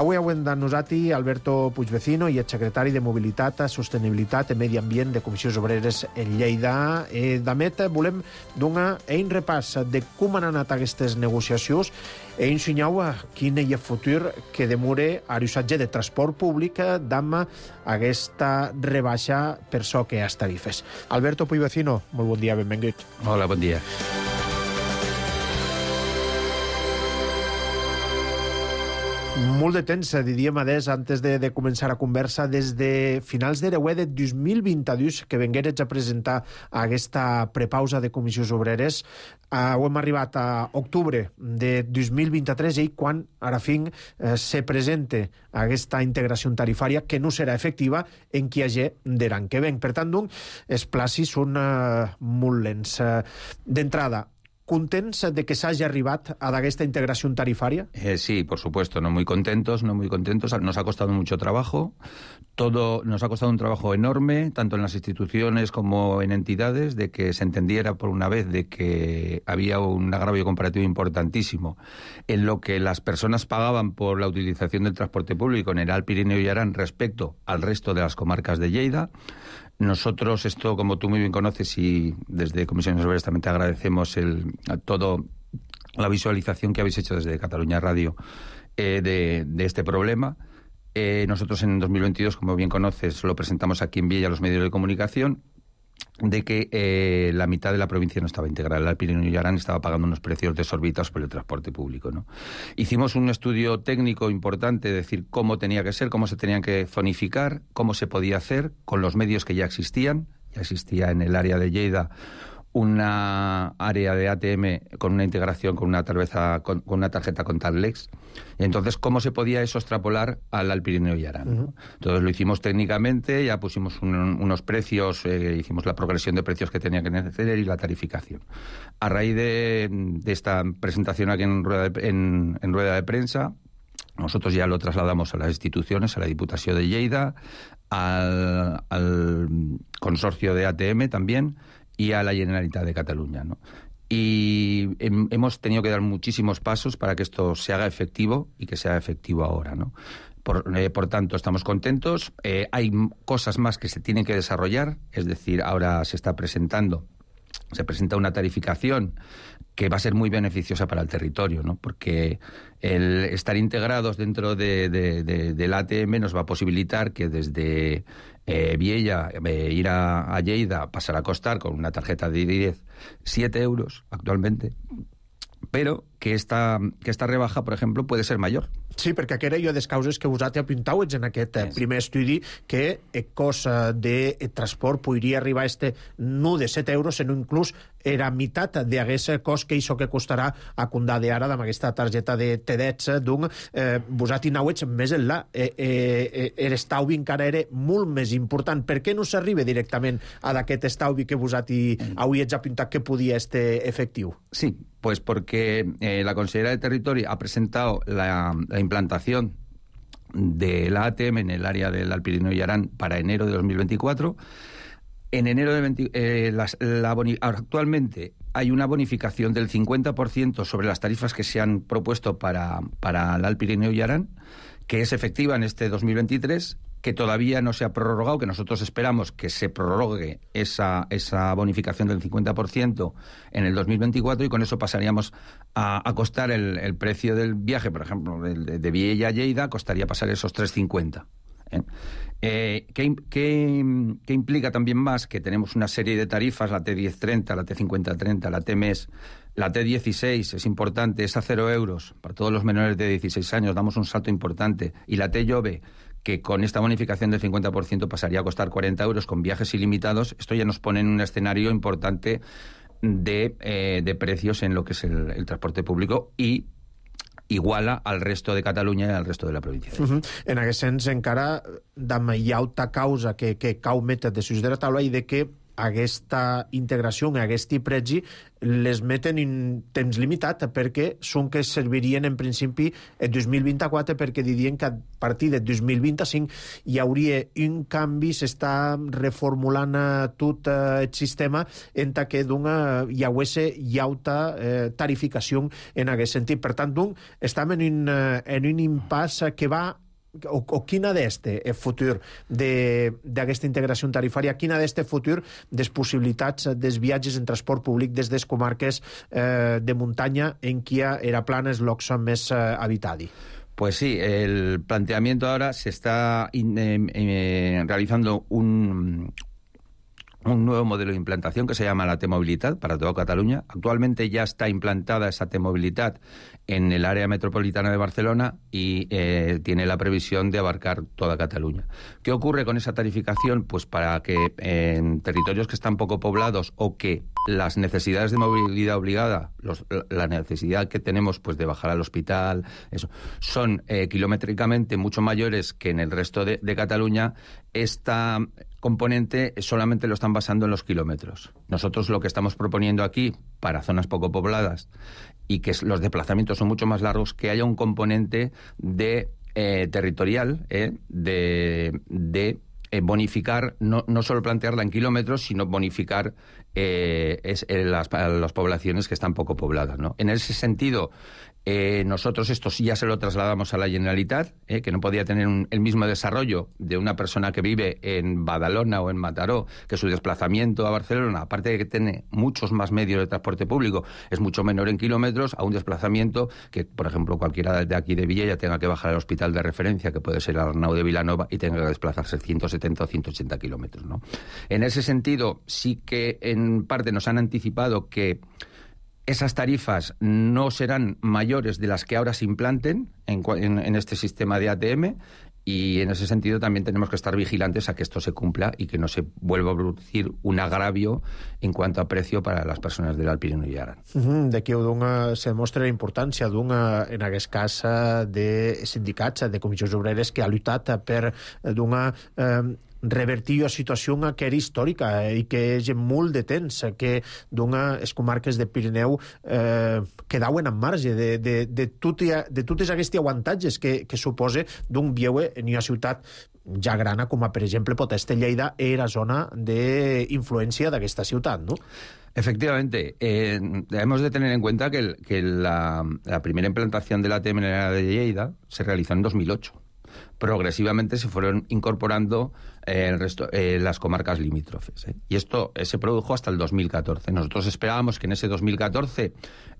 Avui hem de nosaltres Alberto Puigvecino i el secretari de Mobilitat, Sostenibilitat i Medi Ambient de Comissions Obreres en Lleida. Eh, Damet, volem donar un repàs de com han anat aquestes negociacions i ensenyau quin és el futur que demora a l'usatge de transport públic d'ama aquesta rebaixa per so que les tarifes. Alberto Puigvecino, molt bon dia, benvingut. Hola, bon dia. molt de temps, diríem, adés, antes de, de començar a conversa, des de finals de l'any de dos mil vint-i-dos, que vengueres a presentar aquesta prepausa de comissions obreres. Uh, ho hem arribat a octubre de dos mil vint-i-tres i quan, ara fin, uh, se presenta aquesta integració tarifària que no serà efectiva en qui hagi de l'any que ven. Per tant, doncs, els placis són uh, molt lents. Uh, D'entrada, ¿contents de que se haya arribat a esta integración tarifaria? Eh, sí, por supuesto, no muy contentos, no muy contentos. Nos ha costado mucho trabajo. Todo nos ha costado un trabajo enorme, tanto en las instituciones como en entidades, de que se entendiera por una vez de que había un agravio comparativo importantísimo en lo que las personas pagaban por la utilización del transporte público en el Alt Pirineo y Aran respecto al resto de las comarcas de Lleida. Nosotros, esto como tú muy bien conoces, y desde Comisiones Obreras también te agradecemos el, todo la visualización que habéis hecho desde Cataluña Radio eh, de, de este problema. Eh, nosotros en dos mil veintidós, como bien conoces, lo presentamos aquí en Viella a los medios de comunicación, de que eh, la mitad de la provincia no estaba integrada. El Alt Pirineo y Aran estaba pagando unos precios desorbitados por el transporte público, ¿no? Hicimos un estudio técnico importante, de decir cómo tenía que ser, cómo se tenían que zonificar, cómo se podía hacer con los medios que ya existían. Ya existía en el área de Lleida una área de A T M con una integración con una tarjeta con, con una tarjeta contactless. Y entonces, ¿cómo se podía eso extrapolar al Alt Pirineo y Aran? Uh-huh. Entonces lo hicimos técnicamente, ya pusimos un, unos precios, eh, hicimos la progresión de precios que tenía que tener y la tarificación. A raíz de, de esta presentación aquí en rueda de, en, en rueda de prensa, nosotros ya lo trasladamos a las instituciones, a la Diputación de Lleida, al, al consorcio de A T M también, y a la Generalitat de Cataluña, ¿no? Y hem, hemos tenido que dar muchísimos pasos para que esto se haga efectivo y que sea efectivo ahora, ¿no? Por, eh, por tanto, estamos contentos. Eh, hay cosas más que se tienen que desarrollar, es decir, ahora se está presentando, se presenta una tarificación que va a ser muy beneficiosa para el territorio, ¿no? Porque el estar integrados dentro de, de, de, del A T M nos va a posibilitar que desde eh, Viella eh, ir a, a Lleida pasará a costar con una tarjeta de diez siete euros actualmente, però que esta, que esta rebaja, per exemple, puede ser major. Sí, perquè aquella jo des causes que vosaltres apuntauets en aquest sí. primer estudi que el cost de transport podria arribar a este no de set euros, sinó inclús era meitat d'aquest cost que això que costarà a Condà de ara amb aquesta targeta de T D E T, doncs eh, vosaltres anauets més enllà. Eh, eh, l'estalvi encara era molt més important. Per què no s'arriba directament a d'aquest estalvi que vosaltres mm. avui ets apuntat que podia ser efectiu? Sí, pues porque eh, la Consellera de Territorio ha presentado la, la implantación de la A T M en el área del Alt Pirineo y Aran para enero de dos mil veinticuatro. En enero de veinte, eh, las, la boni, actualmente hay una bonificación del cincuenta por ciento sobre las tarifas que se han propuesto para, para el Alt Pirineo y Aran, que es efectiva en este dos mil veintitrés, que todavía no se ha prorrogado, que nosotros esperamos que se prorrogue esa, esa bonificación del cincuenta por ciento en el dos mil veinticuatro, y con eso pasaríamos a, a costar el, el precio del viaje, por ejemplo, de, de Viella a Lleida, costaría pasar esos tres cincuenta. ¿Eh? Eh, ¿qué, qué, ¿Qué implica también más? Que tenemos una serie de tarifas, la T diez treinta, la T cincuenta treinta, la T M E S, la T dieciséis, es importante, es a cero euros para todos los menores de dieciséis años, damos un salto importante, y la T Jove, que con esta bonificación del cincuenta por ciento pasaría a costar cuarenta euros con viajes ilimitados. Esto ya nos pone en un escenario importante de, eh, de precios en lo que es el, el transporte público, y iguala al resto de Catalunya i al resto de la província. Uh -huh. En aquest sens, encara d'ama hi ha alta causa que, que cau metes de sus de la taula, i de que aquesta integració, aquest pregi, les meten en temps limitat, perquè són que servirien en principi el dos mil vint-i-quatre, perquè dirien que a partir del dos mil vint-i-cinc hi hauria un canvi, s'està reformulant tot el sistema en que hi hagués alta eh, tarificació en aquest sentit. Per tant, doncs, estem en un, en un impàs que va O, o quin ha d'este el futur d'aquesta integració tarifària, quin ha d'este futur des possibilitats dels viatges en transport públic des des comarques eh, de muntanya en qui era plana els llocs més eh, habitadi? Pues sí, el planteamiento ahora se está eh, eh, realizando un, un nuevo modelo de implantación que se llama la T-Mobilitat para toda Cataluña. Actualmente ya está implantada esa T-Mobilitat en el área metropolitana de Barcelona y eh, tiene la previsión de abarcar toda Cataluña. ¿Qué ocurre con esa tarificación? Pues para que eh, en territorios que están poco poblados o que las necesidades de movilidad obligada, los, la necesidad que tenemos pues de bajar al hospital, eso, son eh, kilométricamente mucho mayores que en el resto de, de Cataluña, esta componente solamente lo están basando en los kilómetros. Nosotros lo que estamos proponiendo aquí, para zonas poco pobladas, y que los desplazamientos son mucho más largos, que haya un componente de eh, territorial, eh, de... de Eh, bonificar, no, no solo plantearla en kilómetros, sino bonificar eh, es, eh, las, las poblaciones que están poco pobladas, ¿no? En ese sentido, eh, nosotros esto sí ya se lo trasladamos a la Generalitat, eh, que no podía tener un, el mismo desarrollo de una persona que vive en Badalona o en Mataró, que su desplazamiento a Barcelona, aparte de que tiene muchos más medios de transporte público, es mucho menor en kilómetros, a un desplazamiento que, por ejemplo, cualquiera de aquí de Vilella tenga que bajar al hospital de referencia, que puede ser Arnau de Vilanova, y tenga que desplazarse ciento setenta o ciento ochenta kilómetros, ¿no? En ese sentido, sí que en parte nos han anticipado que esas tarifas no serán mayores de las que ahora se implanten en, en, en este sistema de A T M, y en ese sentido también tenemos que estar vigilantes a que esto se cumpla y que no se vuelva a producir un agravio en cuanto a precio para las persones del Alt Pirineu i Aran. Mm-hmm. D'aquí dona, se demostra la importància d'una, en aquest cas, de sindicats, de comissions obreres que ha lluitat per d'una eh, revertir la situació que era històrica i que és molt de temps que les comarques de Pirineu eh, quedaven en marge de, de, de, tot, de totes aquests avantatges que, que suposa d'un viure en una ciutat ja grana com a, per exemple, pot ser Lleida, era zona d'influència d'aquesta ciutat, no? Efectivamente, eh, debemos de tener en cuenta que, el, que la, la primera implantación de la A T M en la de Lleida se realizó en dos mil ocho. Progresivamente se fueron incorporando eh, el resto, eh, las comarcas limítrofes. ¿eh? Y esto eh, se produjo hasta el dos mil catorce. Nosotros esperábamos que en ese dos mil catorce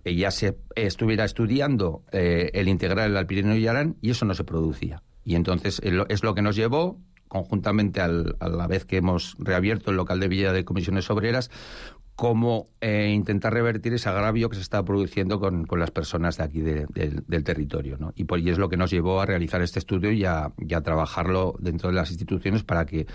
eh, ya se eh, estuviera estudiando eh, el integrar el Alt Pirineu y Aran, y eso no se producía. Y entonces eh, lo, es lo que nos llevó, conjuntamente al, a la vez que hemos reabierto el local de Villa de Comisiones Obreras, cómo eh, intentar revertir ese agravio que se está produciendo con, con las personas de aquí de, de, del territorio, ¿no? Y, por, y es lo que nos llevó a realizar este estudio y a, y a trabajarlo dentro de las instituciones para que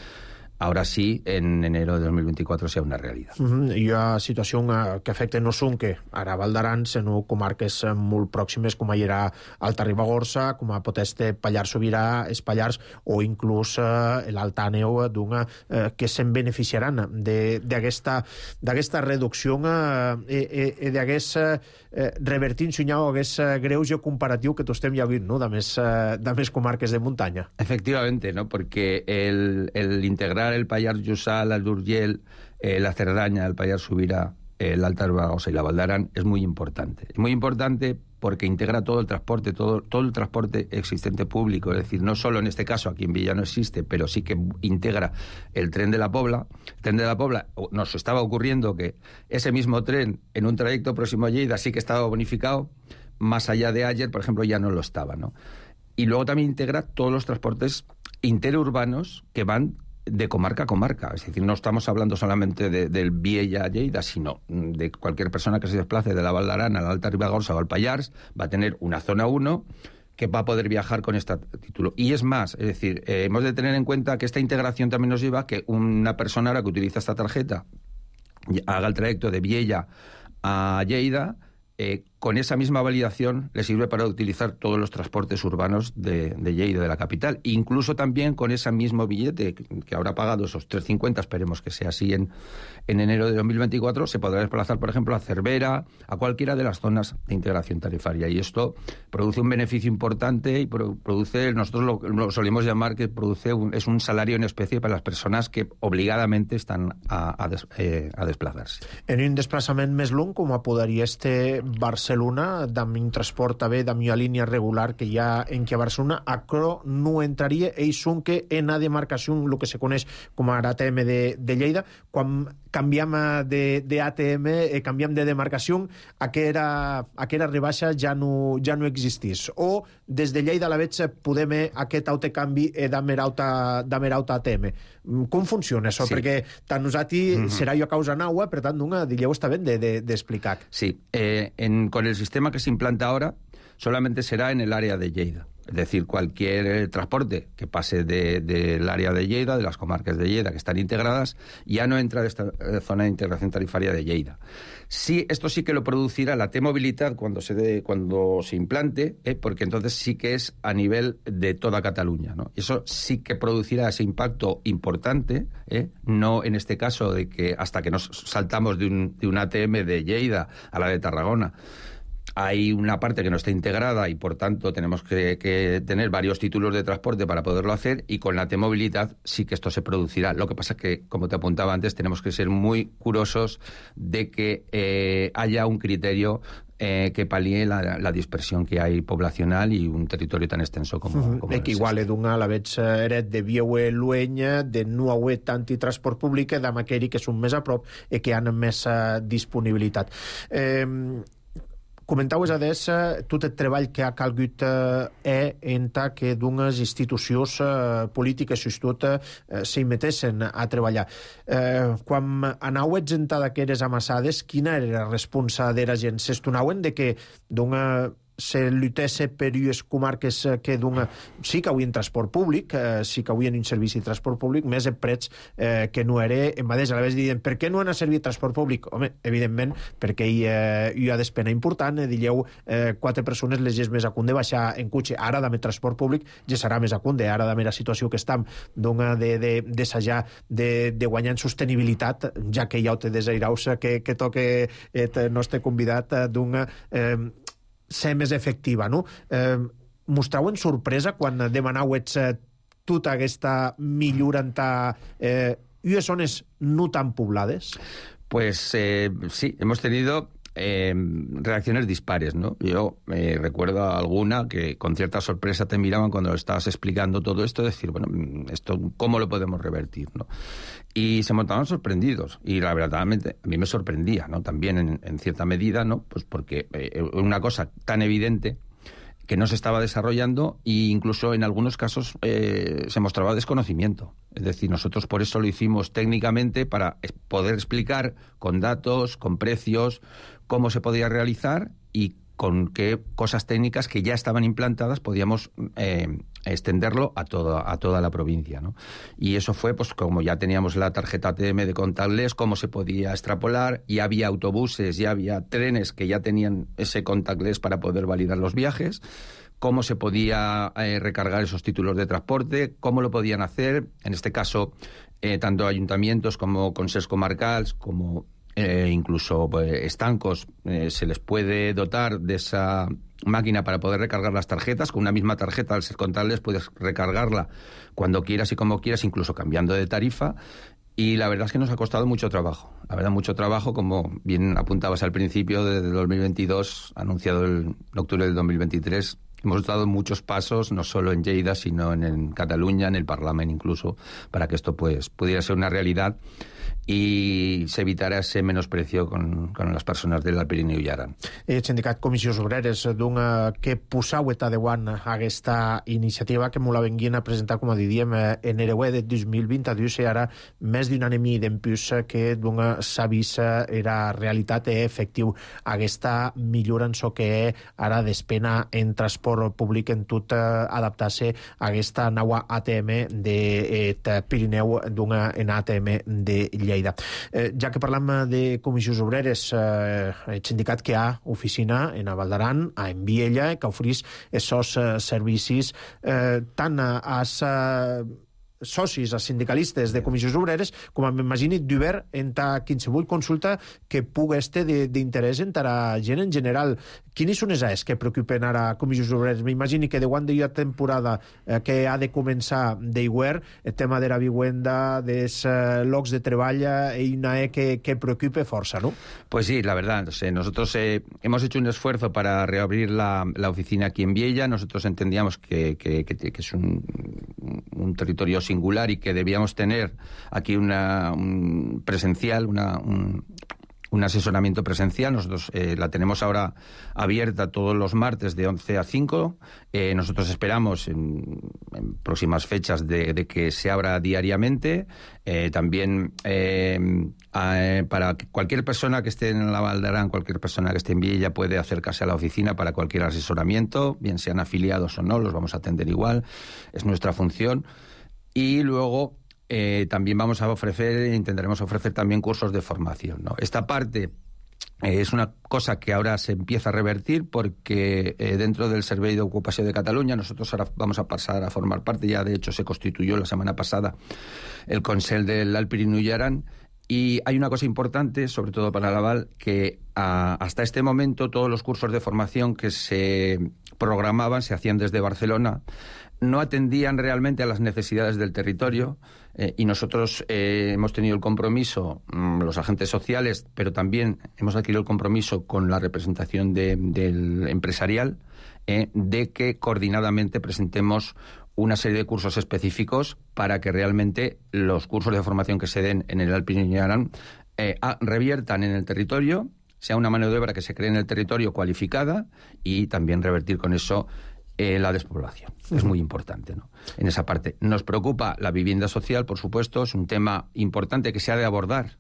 ahora sí, en enero de dos mil veinticuatro, sea una realidad. Mm-hmm. Hi ha situació que afecta no Sunque, ara Val d'Aran, sinó comarques molt pròximes, com hi era Alta Ribagorça, com a pot ser Pallars Sobirà, Espallars, o inclús eh, l'Alt Àneu, eh, que se'n beneficiaran d'aquesta reducció i eh, eh, d'aquest eh, revertint sunyau aquest greuge comparatiu que tu estem ja vist, no?, de més, eh, de més comarques de muntanya. Efectivamente, ¿no? Porque el, el integrar el Pallars Jussà, el Urgell, eh, la Cerdaña, el Pallars Sobirà, el Alta Ribagorça y la Val d'Aran es muy importante. Es muy importante porque integra todo el transporte, todo, todo el transporte existente público, es decir, no solo en este caso aquí en Villa no existe, pero sí que integra el tren de la Pobla. El tren de la Pobla, nos estaba ocurriendo que ese mismo tren en un trayecto próximo a Lleida sí que estaba bonificado, más allá de ayer, por ejemplo, ya no lo estaba, ¿no? Y luego también integra todos los transportes interurbanos que van de comarca a comarca, es decir, no estamos hablando solamente de, del Viella a Lleida, sino de cualquier persona que se desplace de la Val d'Aran a la Alta Ribagorça o al Pallars, va a tener una zona uno que va a poder viajar con este título. Y es más, es decir, eh, hemos de tener en cuenta que esta integración también nos lleva a que una persona ahora que utiliza esta tarjeta haga el trayecto de Viella a Lleida, eh, con esa misma validación le sirve para utilizar todos los transportes urbanos de, de Lleida, de la capital. Incluso también con ese mismo billete que habrá pagado esos tres cincuenta, esperemos que sea así en, en enero de dos mil veinticuatro, se podrá desplazar, por ejemplo, a Cervera, a cualquiera de las zonas de integración tarifaria. Y esto produce un beneficio importante y pro, produce, nosotros lo, lo solemos llamar que produce un, es un salario en especie para las personas que obligadamente están a, a, des, eh, a desplazarse. En un desplaçament més long, com podria este Barcelona, amb un transport també amb una línia regular que hi ha en que a Barcelona, acro no entraria, ells són que en la demarcació, el que se coneix com a A T M de, de Lleida, quan canviam de, de A T M, eh, canviam de demarcació, aquera, aquera rebaixa ja no, ja no existís. O des de Lleida a la veig podem aquest autocanvi eh, d'amer auta, d'amer auta A T M. Com funciona això? Sí. Perquè tant nosaltres mm-hmm. serà jo a causa naua, per tant, una, dilleu està ben d'explicar. De, de sí, eh, en, con el sistema que se implanta ahora, solamente será en el área de Lleida. Es decir, cualquier eh, transporte que pase del de, de área de Lleida, de las comarcas de Lleida que están integradas, ya no entra de esta eh, zona de integración tarifaria de Lleida. Sí, esto sí que lo producirá la T-Movilidad cuando se, de, cuando se implante, eh, porque entonces sí que es a nivel de toda Cataluña, ¿no? Eso sí que producirá ese impacto importante, eh, no en este caso de que hasta que nos saltamos de un, de un A T M de Lleida a la de Tarragona, hay una parte que no está integrada y, por tanto, tenemos que, que tener varios títulos de transporte para poderlo hacer, y con la T-Movilidad sí que esto se producirá. Lo que pasa es que, como te apuntaba antes, tenemos que ser muy curosos de que eh, haya un criterio eh, que palíe la, la dispersión que hay poblacional y un territorio tan extenso como, uh-huh. como es. Que igual d'una a la veig eret de Vieu Luenya, de no haver tant i transport públic, de Maqueri, que són més a prop i que han més uh, disponibilitat. Eh, Comentaues adés tot el treball que ha calgut eh, enta que d'unes institucions eh, polítiques tot eh, s'hi metessin a treballar. Eh, quan anauets enta d'aqueres amassades, quina era la responsa d'era gent? S'estonauen de que d'una se lluitesse per unes comarques que d'una... Sí que havien transport públic, eh, sí que havien un servici de transport públic, més a prets eh, que no era en mateix. A la vegada diuen, per què no han servit transport públic? Home, evidentment, perquè hi, eh, hi ha despena important. Eh, dilleu, eh, quatre persones les és més a cunde baixar en cotxe. Ara, d'haver transport públic, ja serà més a cunde. Ara, d'haver la situació que estem, d'una de, de, d'assajar, de, de guanyar en sostenibilitat, ja que hi ha te desairaus que, que toque el nostre convidat d'una... Eh, ser més efectiva, no? Eh, mostrauen sorpresa quan demanauets eh, tota aquesta millora en eh, unes zones no tan poblades? Pues eh, sí, hemos tenido eh, reacciones dispares, ¿no? Yo eh, recuerdo alguna que con cierta sorpresa te miraban cuando estabas explicando todo esto, decir, bueno, esto ¿cómo lo podemos revertir, no? Y se montaban sorprendidos, y la verdad a mí me sorprendía, ¿no? También en, en cierta medida, ¿no? Pues porque eh, una cosa tan evidente que no se estaba desarrollando, e incluso en algunos casos eh, se mostraba desconocimiento. Es decir, nosotros por eso lo hicimos técnicamente, para poder explicar con datos, con precios, cómo se podía realizar y con qué cosas técnicas que ya estaban implantadas podíamos eh, extenderlo a toda, a toda la provincia, ¿no? Y eso fue, pues como ya teníamos la tarjeta A T M de contactless, cómo se podía extrapolar, y había autobuses, ya había trenes que ya tenían ese contactless para poder validar los viajes, cómo se podía eh, recargar esos títulos de transporte, cómo lo podían hacer, en este caso, eh, tanto ayuntamientos como consejos comarcals, como Eh, incluso pues, estancos, eh, se les puede dotar de esa máquina para poder recargar las tarjetas. Con una misma tarjeta, al ser contactless, puedes recargarla cuando quieras y como quieras, incluso cambiando de tarifa. Y la verdad es que nos ha costado mucho trabajo. La verdad, mucho trabajo, como bien apuntabas al principio, desde dos mil veintidós, anunciado el octubre del dos mil veintitrés. Hemos dado muchos pasos, no solo en Lleida, sino en, en Cataluña, en el Parlamento incluso, para que esto pues pudiera ser una realidad i s'evitarà ese menosprecio con, con les persones del Pirineu i Aran. El sindicat Comissions Obreres d'un que posau et adeuant aquesta iniciativa que molt la venguien a presentar, com a diríem, en Ereuer de dos mil vint-dos, i ara més d'un any i mig d'empús que d'un s'ha vist era realitat i efectiu aquesta millora en so que ara despena en transport públic en tot adaptar-se a aquesta nova A T M de Pirineu d'una en A T M de Lleida. Eh, ja que parlam de Comissions Obreres, eh, el sindicat que ha oficina en Val d'Aran, a Enviella, que oferís aquests eh, servicis eh, tant als eh, socis, als sindicalistes de Comissions Obreres, com m'imagini d'obert en ta qualsevol consulta que pugui estar d'interès en la gent en general. Quines són les que preocupen ara a Comissions Obreres? M'imagini que de quan hi ha temporada eh, que ha de començar d'iguer, el tema de la vivienda, dels eh, llocs de treball, és una E que, que preocupe força, ¿no? Pues sí, la verdad. O sea, nosotros eh, hemos hecho un esfuerzo para reabrir la, la oficina aquí en Viella. Nosotros entendíamos que, que, que, que es un, un territorio singular y que debíamos tener aquí una un presencial, una... Un, un asesoramiento presencial. Nosotros eh, la tenemos ahora abierta todos los martes de once a cinco. Eh, nosotros esperamos en, en próximas fechas de, de que se abra diariamente. Eh, también eh, a, para cualquier persona que esté en la Val d'Aran, cualquier persona que esté en Viella puede acercarse a la oficina para cualquier asesoramiento, bien sean afiliados o no, los vamos a atender igual. Es nuestra función. Y luego Eh, también vamos a ofrecer, intentaremos ofrecer también cursos de formación, ¿no? Esta parte eh, es una cosa que ahora se empieza a revertir porque eh, dentro del Servei d'Ocupació de Catalunya nosotros ahora vamos a pasar a formar parte, ya de hecho se constituyó la semana pasada el Consell del Alt Pirineu i Aran, y hay una cosa importante, sobre todo para la Val, que a, hasta este momento todos los cursos de formación que se programaban, se hacían desde Barcelona, no atendían realmente a las necesidades del territorio, eh, y nosotros eh, hemos tenido el compromiso, mmm, los agentes sociales, pero también hemos adquirido el compromiso con la representación de, del empresarial, eh, de que coordinadamente presentemos una serie de cursos específicos para que realmente los cursos de formación que se den en el Alt Pirineu i Aran eh, a, reviertan en el territorio, sea una mano de obra que se cree en el territorio cualificada, y también revertir con eso Eh, la despoblación. Es muy importante, ¿no? En esa parte. Nos preocupa la vivienda social, por supuesto, es un tema importante que se ha de abordar.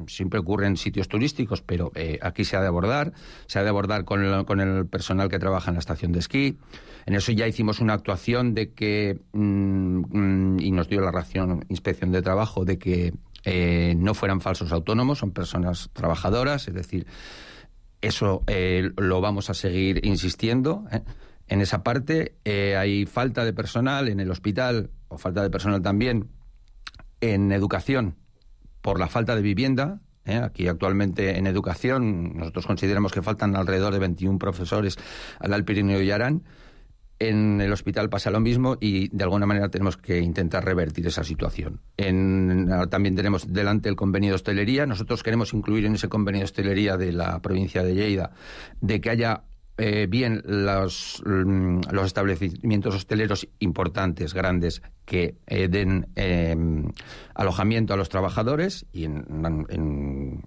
Siempre ocurre en sitios turísticos, pero eh, aquí se ha de abordar. Se ha de abordar con el, con el personal que trabaja en la estación de esquí. En eso ya hicimos una actuación de que, mmm, mmm, y nos dio la ración Inspección de Trabajo, de que eh, no fueran falsos autónomos, son personas trabajadoras, es decir, eso eh, lo vamos a seguir insistiendo, ¿eh? En esa parte eh, hay falta de personal en el hospital, o falta de personal también en educación, por la falta de vivienda. ¿eh? Aquí actualmente en educación nosotros consideramos que faltan alrededor de veintiún profesores al Alt Pirineu i Aran. En el hospital pasa lo mismo y de alguna manera tenemos que intentar revertir esa situación. En, también tenemos delante el convenio de hostelería. Nosotros queremos incluir en ese convenio de hostelería de la provincia de Lleida de que haya Eh, bien los, los establecimientos hosteleros importantes, grandes, que eh, den eh, alojamiento a los trabajadores, y en, en,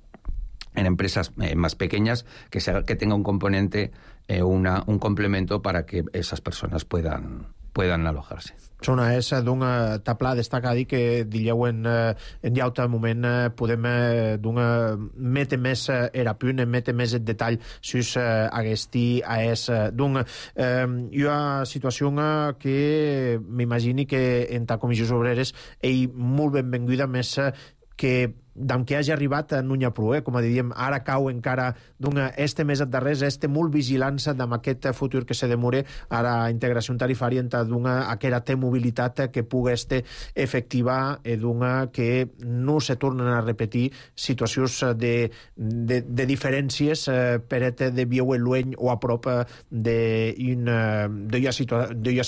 en empresas eh, más pequeñas que, se, que tenga un componente, eh, una, un complemento para que esas personas puedan, puedan alojarse. Sona és d'una tapla destacar dir que dilleu en, en llaut moment podem d'una mete més era punt, mete més el detall sus agesti a és d'un eh, hi ha situació que m'imagini que en ta comissions obreres és molt benvinguda, més que d'en què hagi arribat no n'hi ha prou, eh? Com a diríem, ara cau encara d'una este més darrers, este molt vigilança d'amb aquest futur que se demore ara integració tarifària entre d'una aquera té mobilitat que pugui este efectiva i d'una que no se tornen a repetir situacions de, de, de diferències eh, per et de vieu el lueny o a prop d'una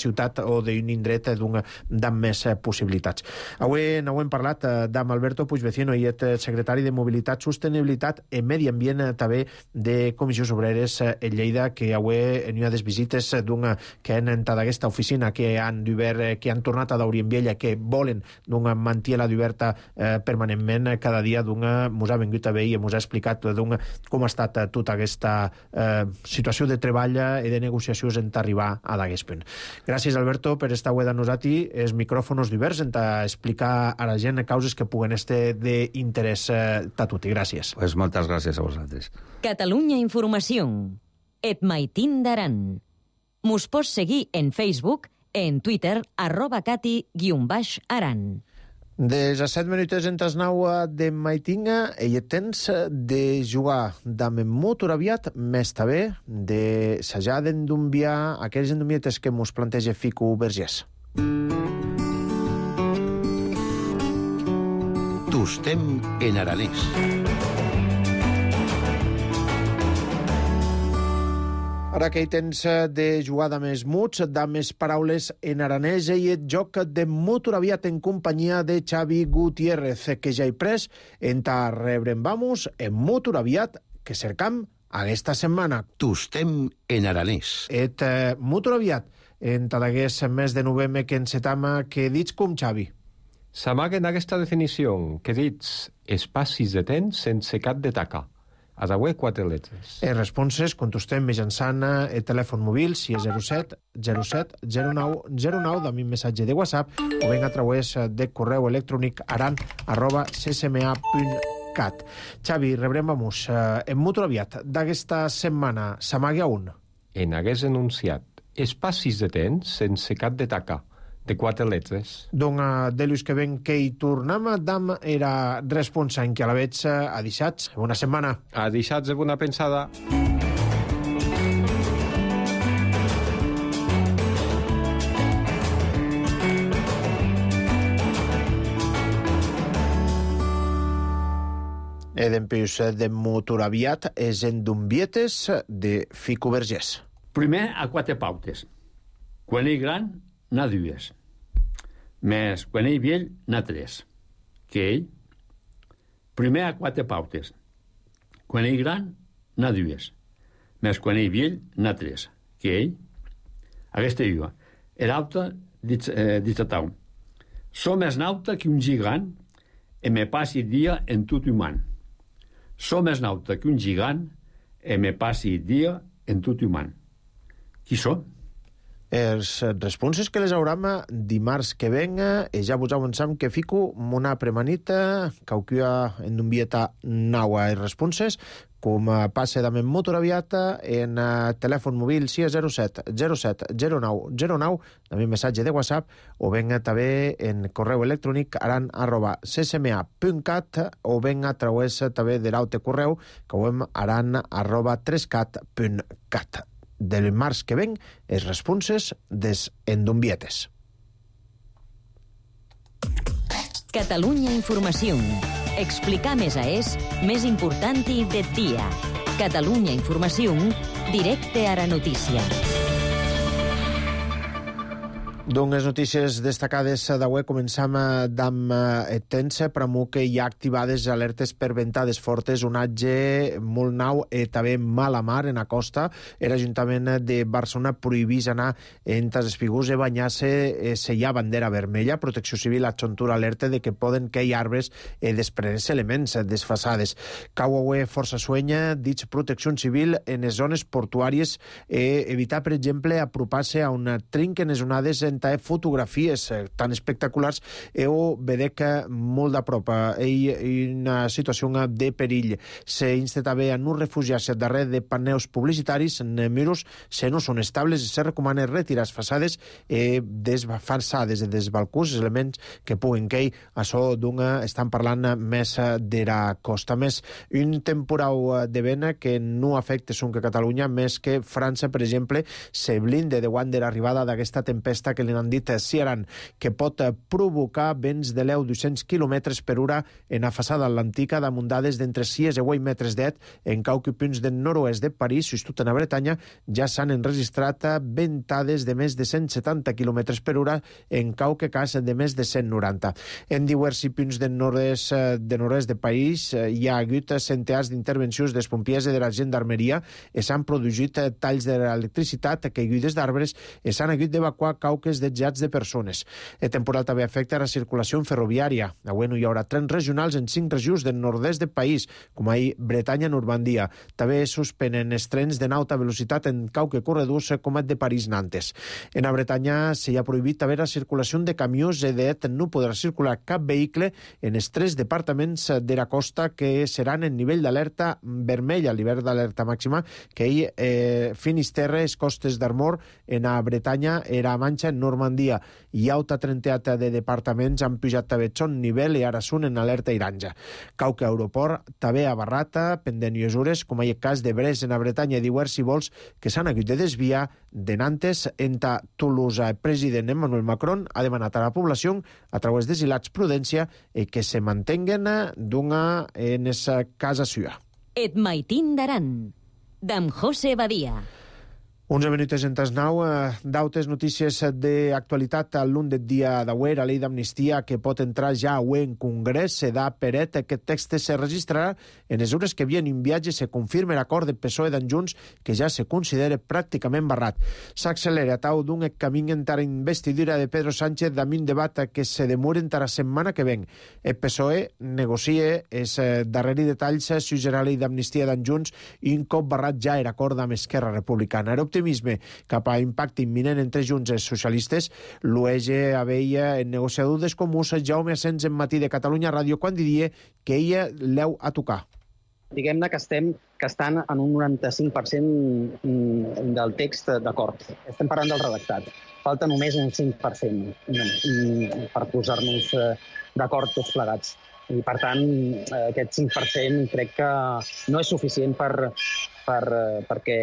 ciutat o d'un indret d'amb més possibilitats. Avui n'hem parlat d'amb Alberto Puigvecino i el secretari de Mobilitat, Sostenibilitat i Medi Ambient també de Comissions Obreres en Lleida, que avui n'hi ha des visites d'una que han entrat a aquesta oficina, que han d'obert, que han tornat a daure en Viella, que volen d'una mantiela d'oberta eh, permanentment cada dia, d'una mos ha vingut a veure i mos ha explicat d'una com ha estat tota aquesta eh, situació de treball i de negociacions en arribar a d'aquest punt. Gràcies, Alberto, per estar avui de nosaltres. Els micròfons diversos en explicar a la gent causes que puguen estar de interès eh, a tutti. Gràcies. Pues moltes gràcies a vosaltres. Catalunya Informació. Et Maitín d'Aran. Mos pots seguir en Facebook, en Twitter, arroba cati guion baix aran. Des a set minuts entre els nou de Maitinga i temps de jugar d'amb molt aviat, més també de sajar d'endumbiar aquells endumbietes que mos planteja Fico Vergés. Tostem en aranès. Ara que hi tens de jugar de més muts, de més paraules en aranès, i el joc de molt aviat en companyia de Xavi Gutiérrez, que ja hi pres en ta rebrem vamos en molt aviat que cercam aquesta setmana. Tostem en aranès. Et eh, molt aviat en ta d'aquest mes de novembre que encetam, que dits com Xavi. S'amaguen aquesta definició, que dits espacis de temps sense cap de taca. A dauer quatre letres. Les responses contestem mitjançant el telèfon mòbil si és zero set zero set zero nou zero nou amb un missatge de WhatsApp o ben a través de correu electrònic aran arroba c s m a punt cat. Xavi, rebrem a mus. En molt aviat d'aquesta setmana s'amaga un. En hagués enunciat espacis de temps sense cap de taca. De quatre letres. Doncs de l'ús que ven que hi tornem, dam era responsa en que a la veig a dissats. Bona setmana. A dissats de bona pensada. E d'empius de motor aviat és en d'umbietes de Fico Vergés. Primer a quatre pautes. Quan ell gran, n'ha dues. Més quan ell vell, n'ha tres. Que ell? Primer a quatre pautes. Quan ell gran, n'ha dues. Més quan ell vell, n'ha tres. Que ell? Aquesta diu. Era alta, dit a tau. Som més nauta que un gigant e me passi dia en tot humà. Som més nauta que un gigant e me passi dia en tot humà. Qui som? Els responses que les hauram dimarts que venga, e ja vos avançam que fico una premanita, cauquia en un vieta naua els responses, com passa també en motor aviat, en telèfon mòbil sis zero set zero set zero nou zero nou, també missatge de WhatsApp, o venga també en correu electrònic aran arroba c s m a punt cat, o venga a través també de l'aute correu, que ho hem aran arroba tres cat punt cat. Del març que ven, els responses des endombietes. Catalunya Informació. Explicar més a és més important de dia. Catalunya Informació, directe a la notícia. Doncs les notícies destacades d'avui començam amb el temps, per amor que hi ha activades alertes per ventades fortes, onatge molt nau i també mala mar en la costa. L'Ajuntament de Barcelona prohibís anar entre els figurs i banyar-se si hi ha bandera vermella. Protecció Civil adjuntura alerta de que poden cair arbres i desprendre-se elements desfasades. Cau avui força suenya, dits Protecció Civil en les zones portuàries i evitar, per exemple, apropar-se a on trinquen les onades en fotografies tan espectaculars o vedec molt de prop en una situació de perill. S'insta també a no refugiar-se darrere de paneus publicitaris en miros si no són estables i se recomana retirar les façades i desfaçades i desbalcús, elements que puguen cair. Això d'una estan parlant més de la costa. Més, un temporal de vent que no afecta Sunca Catalunya, més que França, per exemple, se blinde davant de l'arribada d'aquesta tempesta que li han dit Ciaran, que pot provocar vents de l'eu dos-cents quilòmetres per hora en la façada atlàntica damuntades d'entre sis i vuit metres d'et. En cauqui punts del nord-oest de París, justut en la Bretanya, ja s'han enregistrat ventades de més de cent setanta quilòmetres per hora, en cauqui cas de més de cent noranta. En diversos punts del nord-est de nord-est de París hi ha hagut centenars d'intervencions dels pompiers i de la gendarmeria i s'han produït talls de l'electricitat, caigudes d'arbres i s'han hagut d'evacuar cauques de jets de persones. El temporal també afecta la circulació ferroviària. Avui no hi haurà trens regionals en cinc regions del nord-est del país, com ahir Bretanya, Normandia. També suspenen els trens de alta velocitat en cauque corredors com el de París-Nantes. En la Bretanya s'hi ha prohibit també la circulació de camions i d'et no podrà circular cap vehicle en els tres departaments de la costa que seran en nivell d'alerta vermella, l'hivern d'alerta màxima, que hi eh, Finisterre, les costes d'Armor, en la Bretanya, era Manxa, en Normandia. Hi ha alta trenteta de departaments han pujat també son nivell i ara són en alerta iranja. Cauque aeroport també a Barrata, pendent mesures, com hi ha el cas de Brest en la Bretanya i diversos vols que s'han hagut de desviar de Nantes entre Toulouse. El president Emmanuel Macron ha demanat a la població, a través de silats prudència, i que se mantenguen d'una en esa casa seva. Et maitín d'Aran, d'am José Badia. onze minuts en tasnau, d'autes notícies d'actualitat a l'un del dia d'auer, a llei d'amnistia que pot entrar ja avui en Congrés, se da peret. Aquest text se registrarà en les hores que havien enviat i se confirma l'acord de P S O E d'en Junts, que ja se considera pràcticament barrat. S'accelera tau d'un camí entara investidura de Pedro Sánchez damunt debat que se demora entara setmana que ven. El P S O E negocia els darreri detalls si serà la llei d'amnistia d'en Junts i un cop barrat ja era acord amb Esquerra Republicana. Era optimisme cap a impacte imminent entre Junts i els socialistes. L'U E G aveia en negociador dels comuns Jaume Asens en Matí de Catalunya Ràdio quan diria que ella l'heu a tocar. Diguem-ne que estem que estan en un noranta-cinc per cent del text d'acord. Estem parlant del redactat. Falta només un cinc per cent per posar-nos d'acord tots plegats. I, per tant, aquest cinc per cent crec que no és suficient per, per, perquè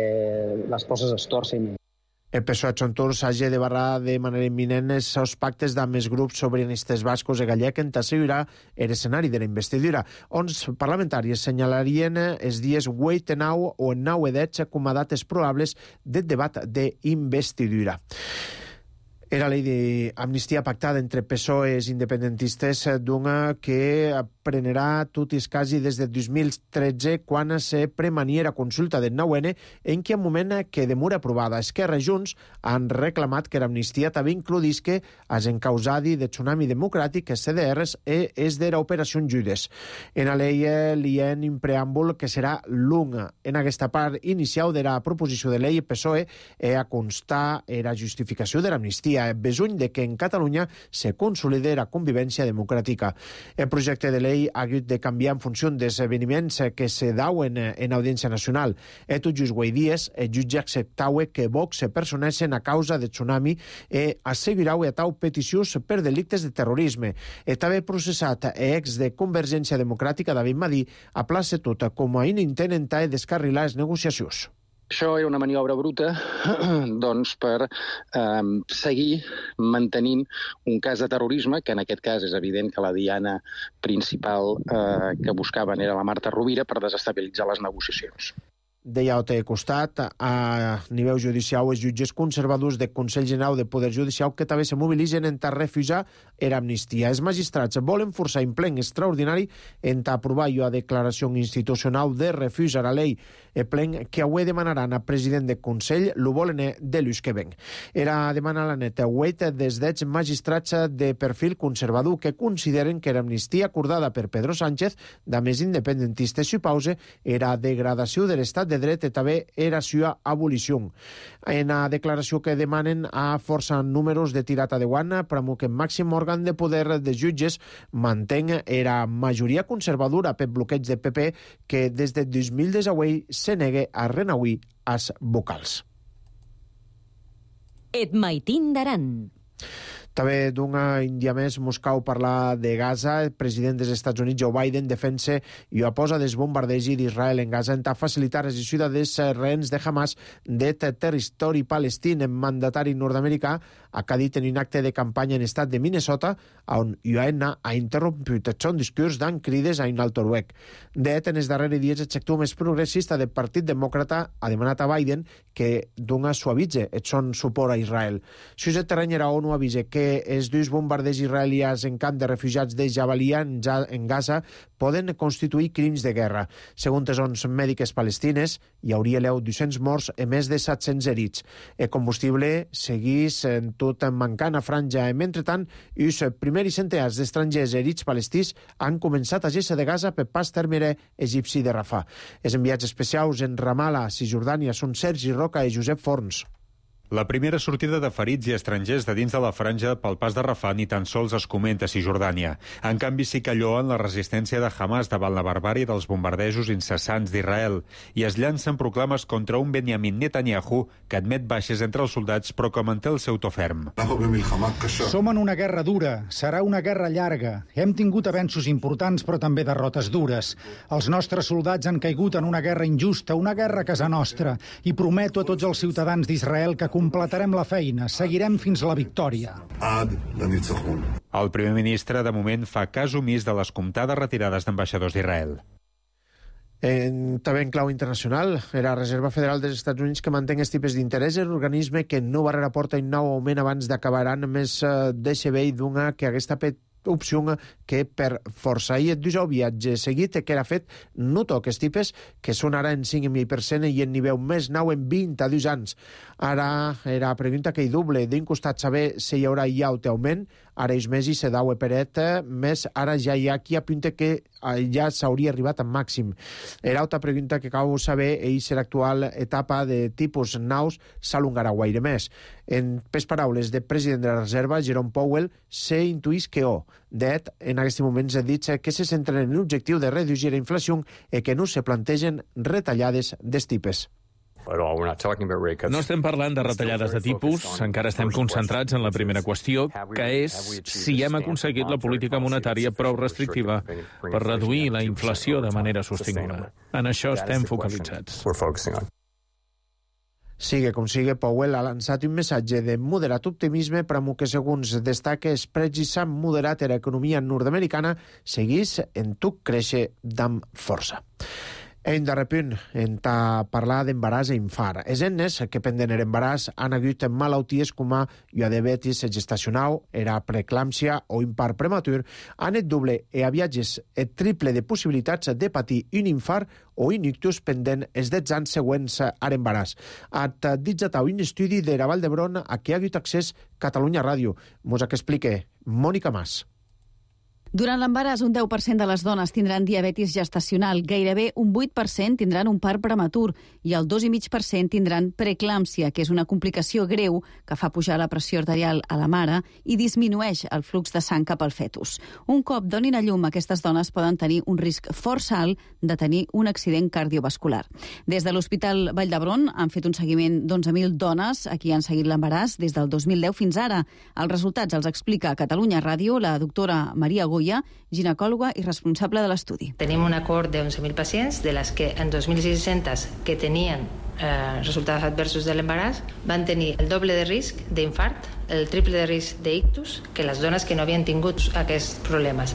les coses es torcin. El P S O E Xontur s'hagi de barrar de manera imminent els pactes d'amb els grups sobiranistes bascos i gallec en t'assegurar l'escenari de la investidura. Ons parlamentaris senyalarien els dies vuit, nou o nou i deu com a dates probables del debat d'investidura. Era la llei d'amnistia pactada entre P S O E i independentistes d'una que prenerà tot i quasi des del dos mil tretze quan se premaniera consulta del nou ene en què moment que demora aprovada. Esquerra i Junts han reclamat que l'amnistia també includisque els encausadi de Tsunami Democràtic, els C D Rs i els de l'Operació Judes. En la llei li ha un preàmbul que serà lunga. En aquesta part inicial de la proposició de llei, P S O E ha constar la justificació de l'amnistia besuny de que en Catalunya se consolide la convivència democràtica. El projecte de llei ha hagut de canviar en funció dels esdeveniments que se dauen en Audiència Nacional. E tot just avui dies, el jutge acceptaue que Vox se personessin a causa de Tsunami e assegurau a tau peticions per delictes de terrorisme. E també processat ex de Convergència Democràtica, David Madí, a plaça tota com a un intent entà de descarrilar les negociacions. Això era una maniobra bruta doncs, per eh, seguir mantenint un cas de terrorisme, que en aquest cas és evident que la diana principal eh, que buscaven era la Marta Rovira, per desestabilitzar les negociacions. Deia a l'altre costat, a nivell judicial, els jutges conservadors del Consell General de Poder Judicial que també se mobilitzen en ta refusar l'amnistia. Els magistrats volen forçar en plen extraordinari en ta aprovar la declaració institucional de refús a la llei. El plen que avui demanaran al president del Consell lo volen de l'ús que ven. Era demanar la neta avui des dels magistrats de perfil conservador que consideren que l'amnistia acordada per Pedro Sánchez, de més independentistes si pause, era degradació de l'estat de dret i també era sua abolició. En la declaració que demanen a força números de tirata de guana, pramo que el màxim òrgan de poder de jutges mantén era majoria conservadora per bloqueig de P P que des de dos mil disset se negue a renauir als vocals. Et maitin d'Aran. També d'una Índia més, Moscou parla de Gaza. El president dels Estats Units, Joe Biden, defensa i oposa des bombardegi d'Israel en Gaza en facilitar la gestió dels rehens de Hamas de territori palestí. El mandatari nord-americà ha dit en un acte de campanya en estat de Minnesota on U A N ha interromput el seu discurs dant crides a un alt noruec. De fet, en els darrers dies, el sector més progressista del Partit Demòcrata ha demanat a Biden que dona suavitze el seu suport a Israel. Si el terreny era ONU avisa que els dos bombarders israelians en camp de refugiats de Jabalia en Gaza poden constituir crims de guerra. Segons les O N G mèdiques palestines, hi hauria dos-cents morts i més de set-cents herits. El combustible seguís en tot mancant a Franja. Mentrestant, els primers centenars d'estrangers herits palestins han començat a gessa de Gaza per pas termere egipci de Rafah. Els enviats especials en Ramallah, Cisjordània, són Sergi Roca i Josep Forns. La primera sortida de ferits i estrangers de dins de la franja pel pas de Rafah ni tan sols es comenta a Cisjordània. En canvi, sí que lloen la resistència de Hamas davant la barbàrie dels bombardejos incessants d'Israel i es llancen proclames contra un Benjamin Netanyahu que admet baixes entre els soldats però que manté el seu to ferm. Som en una guerra dura, serà una guerra llarga. Hem tingut avenços importants però també derrotes dures. Els nostres soldats han caigut en una guerra injusta, una guerra a casa nostra, i prometo a tots els ciutadans d'Israel que completarem la feina, seguirem fins a la victòria. El primer ministre, de moment, fa cas omís de les comptades retirades d'ambaixadors d'Israel. En, també en clau internacional, la Reserva Federal dels Estats Units que manté els tipus d'interès és l'organisme que no barrera porta un nou augment abans d'acabar més uh, de Xevell d'una que hagués tapet opció que per força. I et diu el viatge seguit que era fet no toques tipes que són ara en cinc mil per cent i en nivell més nou en vint-i-dos anys. Ara era pregunta que hi doble. D'un costat saber si hi haurà ja un augment, ara és més i se dau peret, més ara ja hi ha qui apunta que ja s'hauria arribat al màxim. Era altra pregunta que cal saber és si l'actual etapa de tipus nous s'alongarà guaire més. En pes paraules del president de la Reserva, Jerome Powell, se intuís que o. Det, en aquest moment s'ha dit que se centren en l'objectiu de reduir la inflació i que no se plantegen retallades dels tipus. No estem parlant de retallades de tipus, encara estem concentrats en la primera qüestió, que és si hem aconseguit la política monetària prou restrictiva per reduir la inflació de manera sostinguda. En això estem focalitzats. Sigue com sigue, Powell ha lançat un missatge de moderat optimisme per a que, segons destaca, els precis s'han moderat a l'economia nord-americana, seguís en tot créixer d'amp força. En darrer punt, en ta parlar d'embaràs i infart. Els ennes que penden l'embaràs han hagut malalties com a diabetis gestacional, era preeclàmpsia o infart prematur, han et doble i a viatges et triple de possibilitats de patir un infart o un ictus pendent els dotze anys següents a l'embaràs. Ha dit un estudi de la Vall d'Hebron a què ha hagut accés Catalunya Ràdio. Mos que explique Mònica Mas. Durant l'embaràs, un deu per cent de les dones tindran diabetis gestacional, gairebé un vuit per cent tindran un part prematur i el dos coma cinc per cent tindran preeclàmpsia, que és una complicació greu que fa pujar la pressió arterial a la mare i disminueix el flux de sang cap al fetus. Un cop donin a llum, aquestes dones poden tenir un risc força alt de tenir un accident cardiovascular. Des de l'Hospital Vall d'Hebron han fet un seguiment d'onze mil dones a qui han seguit l'embaràs des del dos mil deu fins ara. Els resultats els explica a Catalunya Ràdio la doctora Maria Goya, ginecòloga i responsable de l'estudi. Tenim un acord de onze mil pacients, de les que en dos mil sis-cents que tenien eh, resultats adversos de l'embaràs van tenir el doble de risc d'infart, el triple de risc d'ictus que les dones que no havien tingut aquests problemes.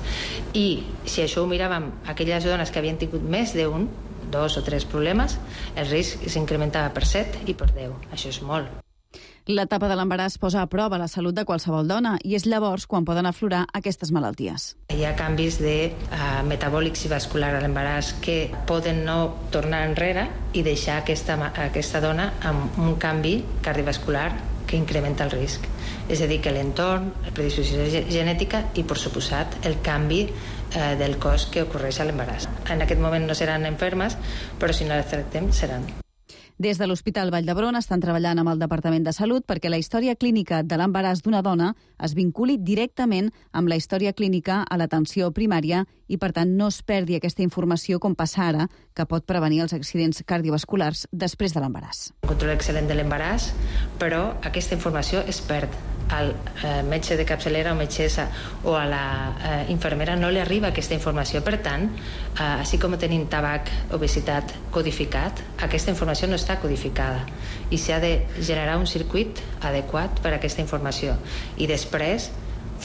I si això ho miràvem, aquelles dones que havien tingut més d'un, dos o tres problemes, el risc s'incrementava per set i per deu. Això és molt. L'etapa de l'embaràs posa a prova la salut de qualsevol dona i és llavors quan poden aflorar aquestes malalties. Hi ha canvis de uh, metabòlics i vascular a l'embaràs que poden no tornar enrere i deixar aquesta, aquesta dona amb un canvi cardiovascular que incrementa el risc. És a dir, que l'entorn, la predisposició genètica i, per suposat, el canvi eh, del cos que ocorreix a l'embaràs. En aquest moment no seran enfermes, però si no les tractem, seran. Des de l'Hospital Vall d'Hebron estan treballant amb el Departament de Salut perquè la història clínica de l'embaràs d'una dona es vinculi directament amb la història clínica a l'atenció primària i, per tant, no es perdi aquesta informació com passa ara, que pot prevenir els accidents cardiovasculars després de l'embaràs. Un control excel·lent de l'embaràs, però aquesta informació es perd. Al eh, metge de capçalera o metgessa o a la eh, infermera no li arriba aquesta informació. Per tant, eh, així com tenim tabac, obesitat codificat, aquesta informació no està codificada i s'ha de generar un circuit adequat per a aquesta informació i després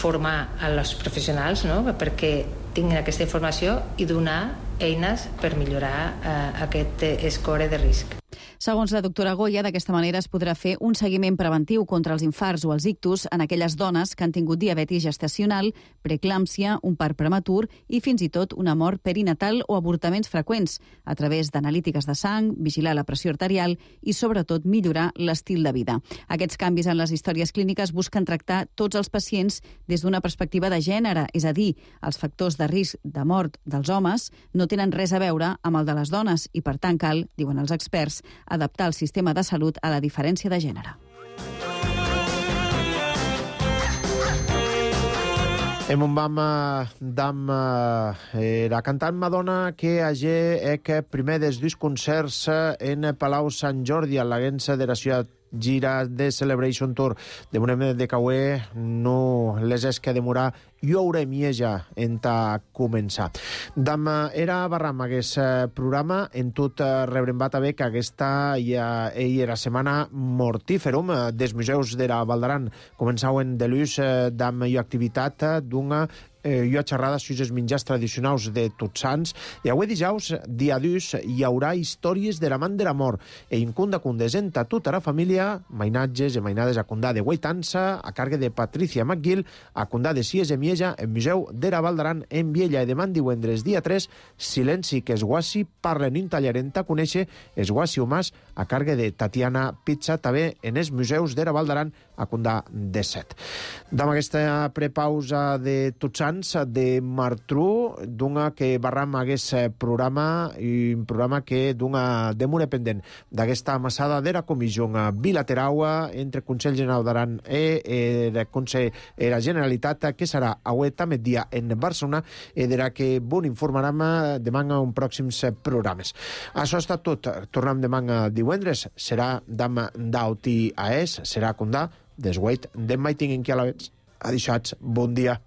formar els professionals, no?, perquè tinguin aquesta informació i donar eines per millorar eh, aquest score de risc. Segons la doctora Goya, d'aquesta manera es podrà fer un seguiment preventiu contra els infarts o els ictus en aquelles dones que han tingut diabetis gestacional, preeclàmpsia, un part prematur i fins i tot una mort perinatal o avortaments freqüents, a través d'analítiques de sang, vigilar la pressió arterial i, sobretot, millorar l'estil de vida. Aquests canvis en les històries clíniques busquen tractar tots els pacients des d'una perspectiva de gènere, és a dir, els factors de risc de mort dels homes no tenen res a veure amb el de les dones i, per tant, cal, diuen els experts, adaptar el sistema de salut a la diferència de gènere. Em un vam dam la cantant Madonna que hagi ec primer dels dos concerts en Palau Sant Jordi a l'agència de la ciutat gira de Celebration Tour de Monem de Cauer no les és que demorar i haurem ja en ta començar. Dam era barram aquest programa en tot rebrem bat a bé que aquesta ja era setmana mortíferum dels museus de la Val d'Aran. Començauen de l'ús dam i activitat d'una eh, hi ha xerrada sobre els menjars tradicionals de Tots Sants, i avui dijous, dia dus, hi haurà històries de la man de la mort, e incunda condesenta tota la família, mainatges i mainades a condà de Guaitança, a càrrega de Patricia McGill, a condà de Cies i Mieja, en Museu de la Val d'Aran, en Viella, i demà divendres dia tres, silenci que es guassi parlen in tallarenta, conèixer es guassi humàs, a càrrega de Tatiana Pizza, també en els museus de la Val d'Aran, a condà de set. Amb aquesta prepausa de Tots Sants de Martru, d'una que barram aquest programa, i un programa que d'una demora pendent d'aquesta amassada de la comissió bilateral entre Consell General d'Aran i el Consell de la Generalitat, que serà avui també dia en Barcelona, i de la que bon informarem demà en uns pròxims programes. Això ha estat tot. Tornem demà divendres. Serà d'am d'Auti a es, serà condà desguait d'en Maiting en qui a la vez. Adixats, bon dia.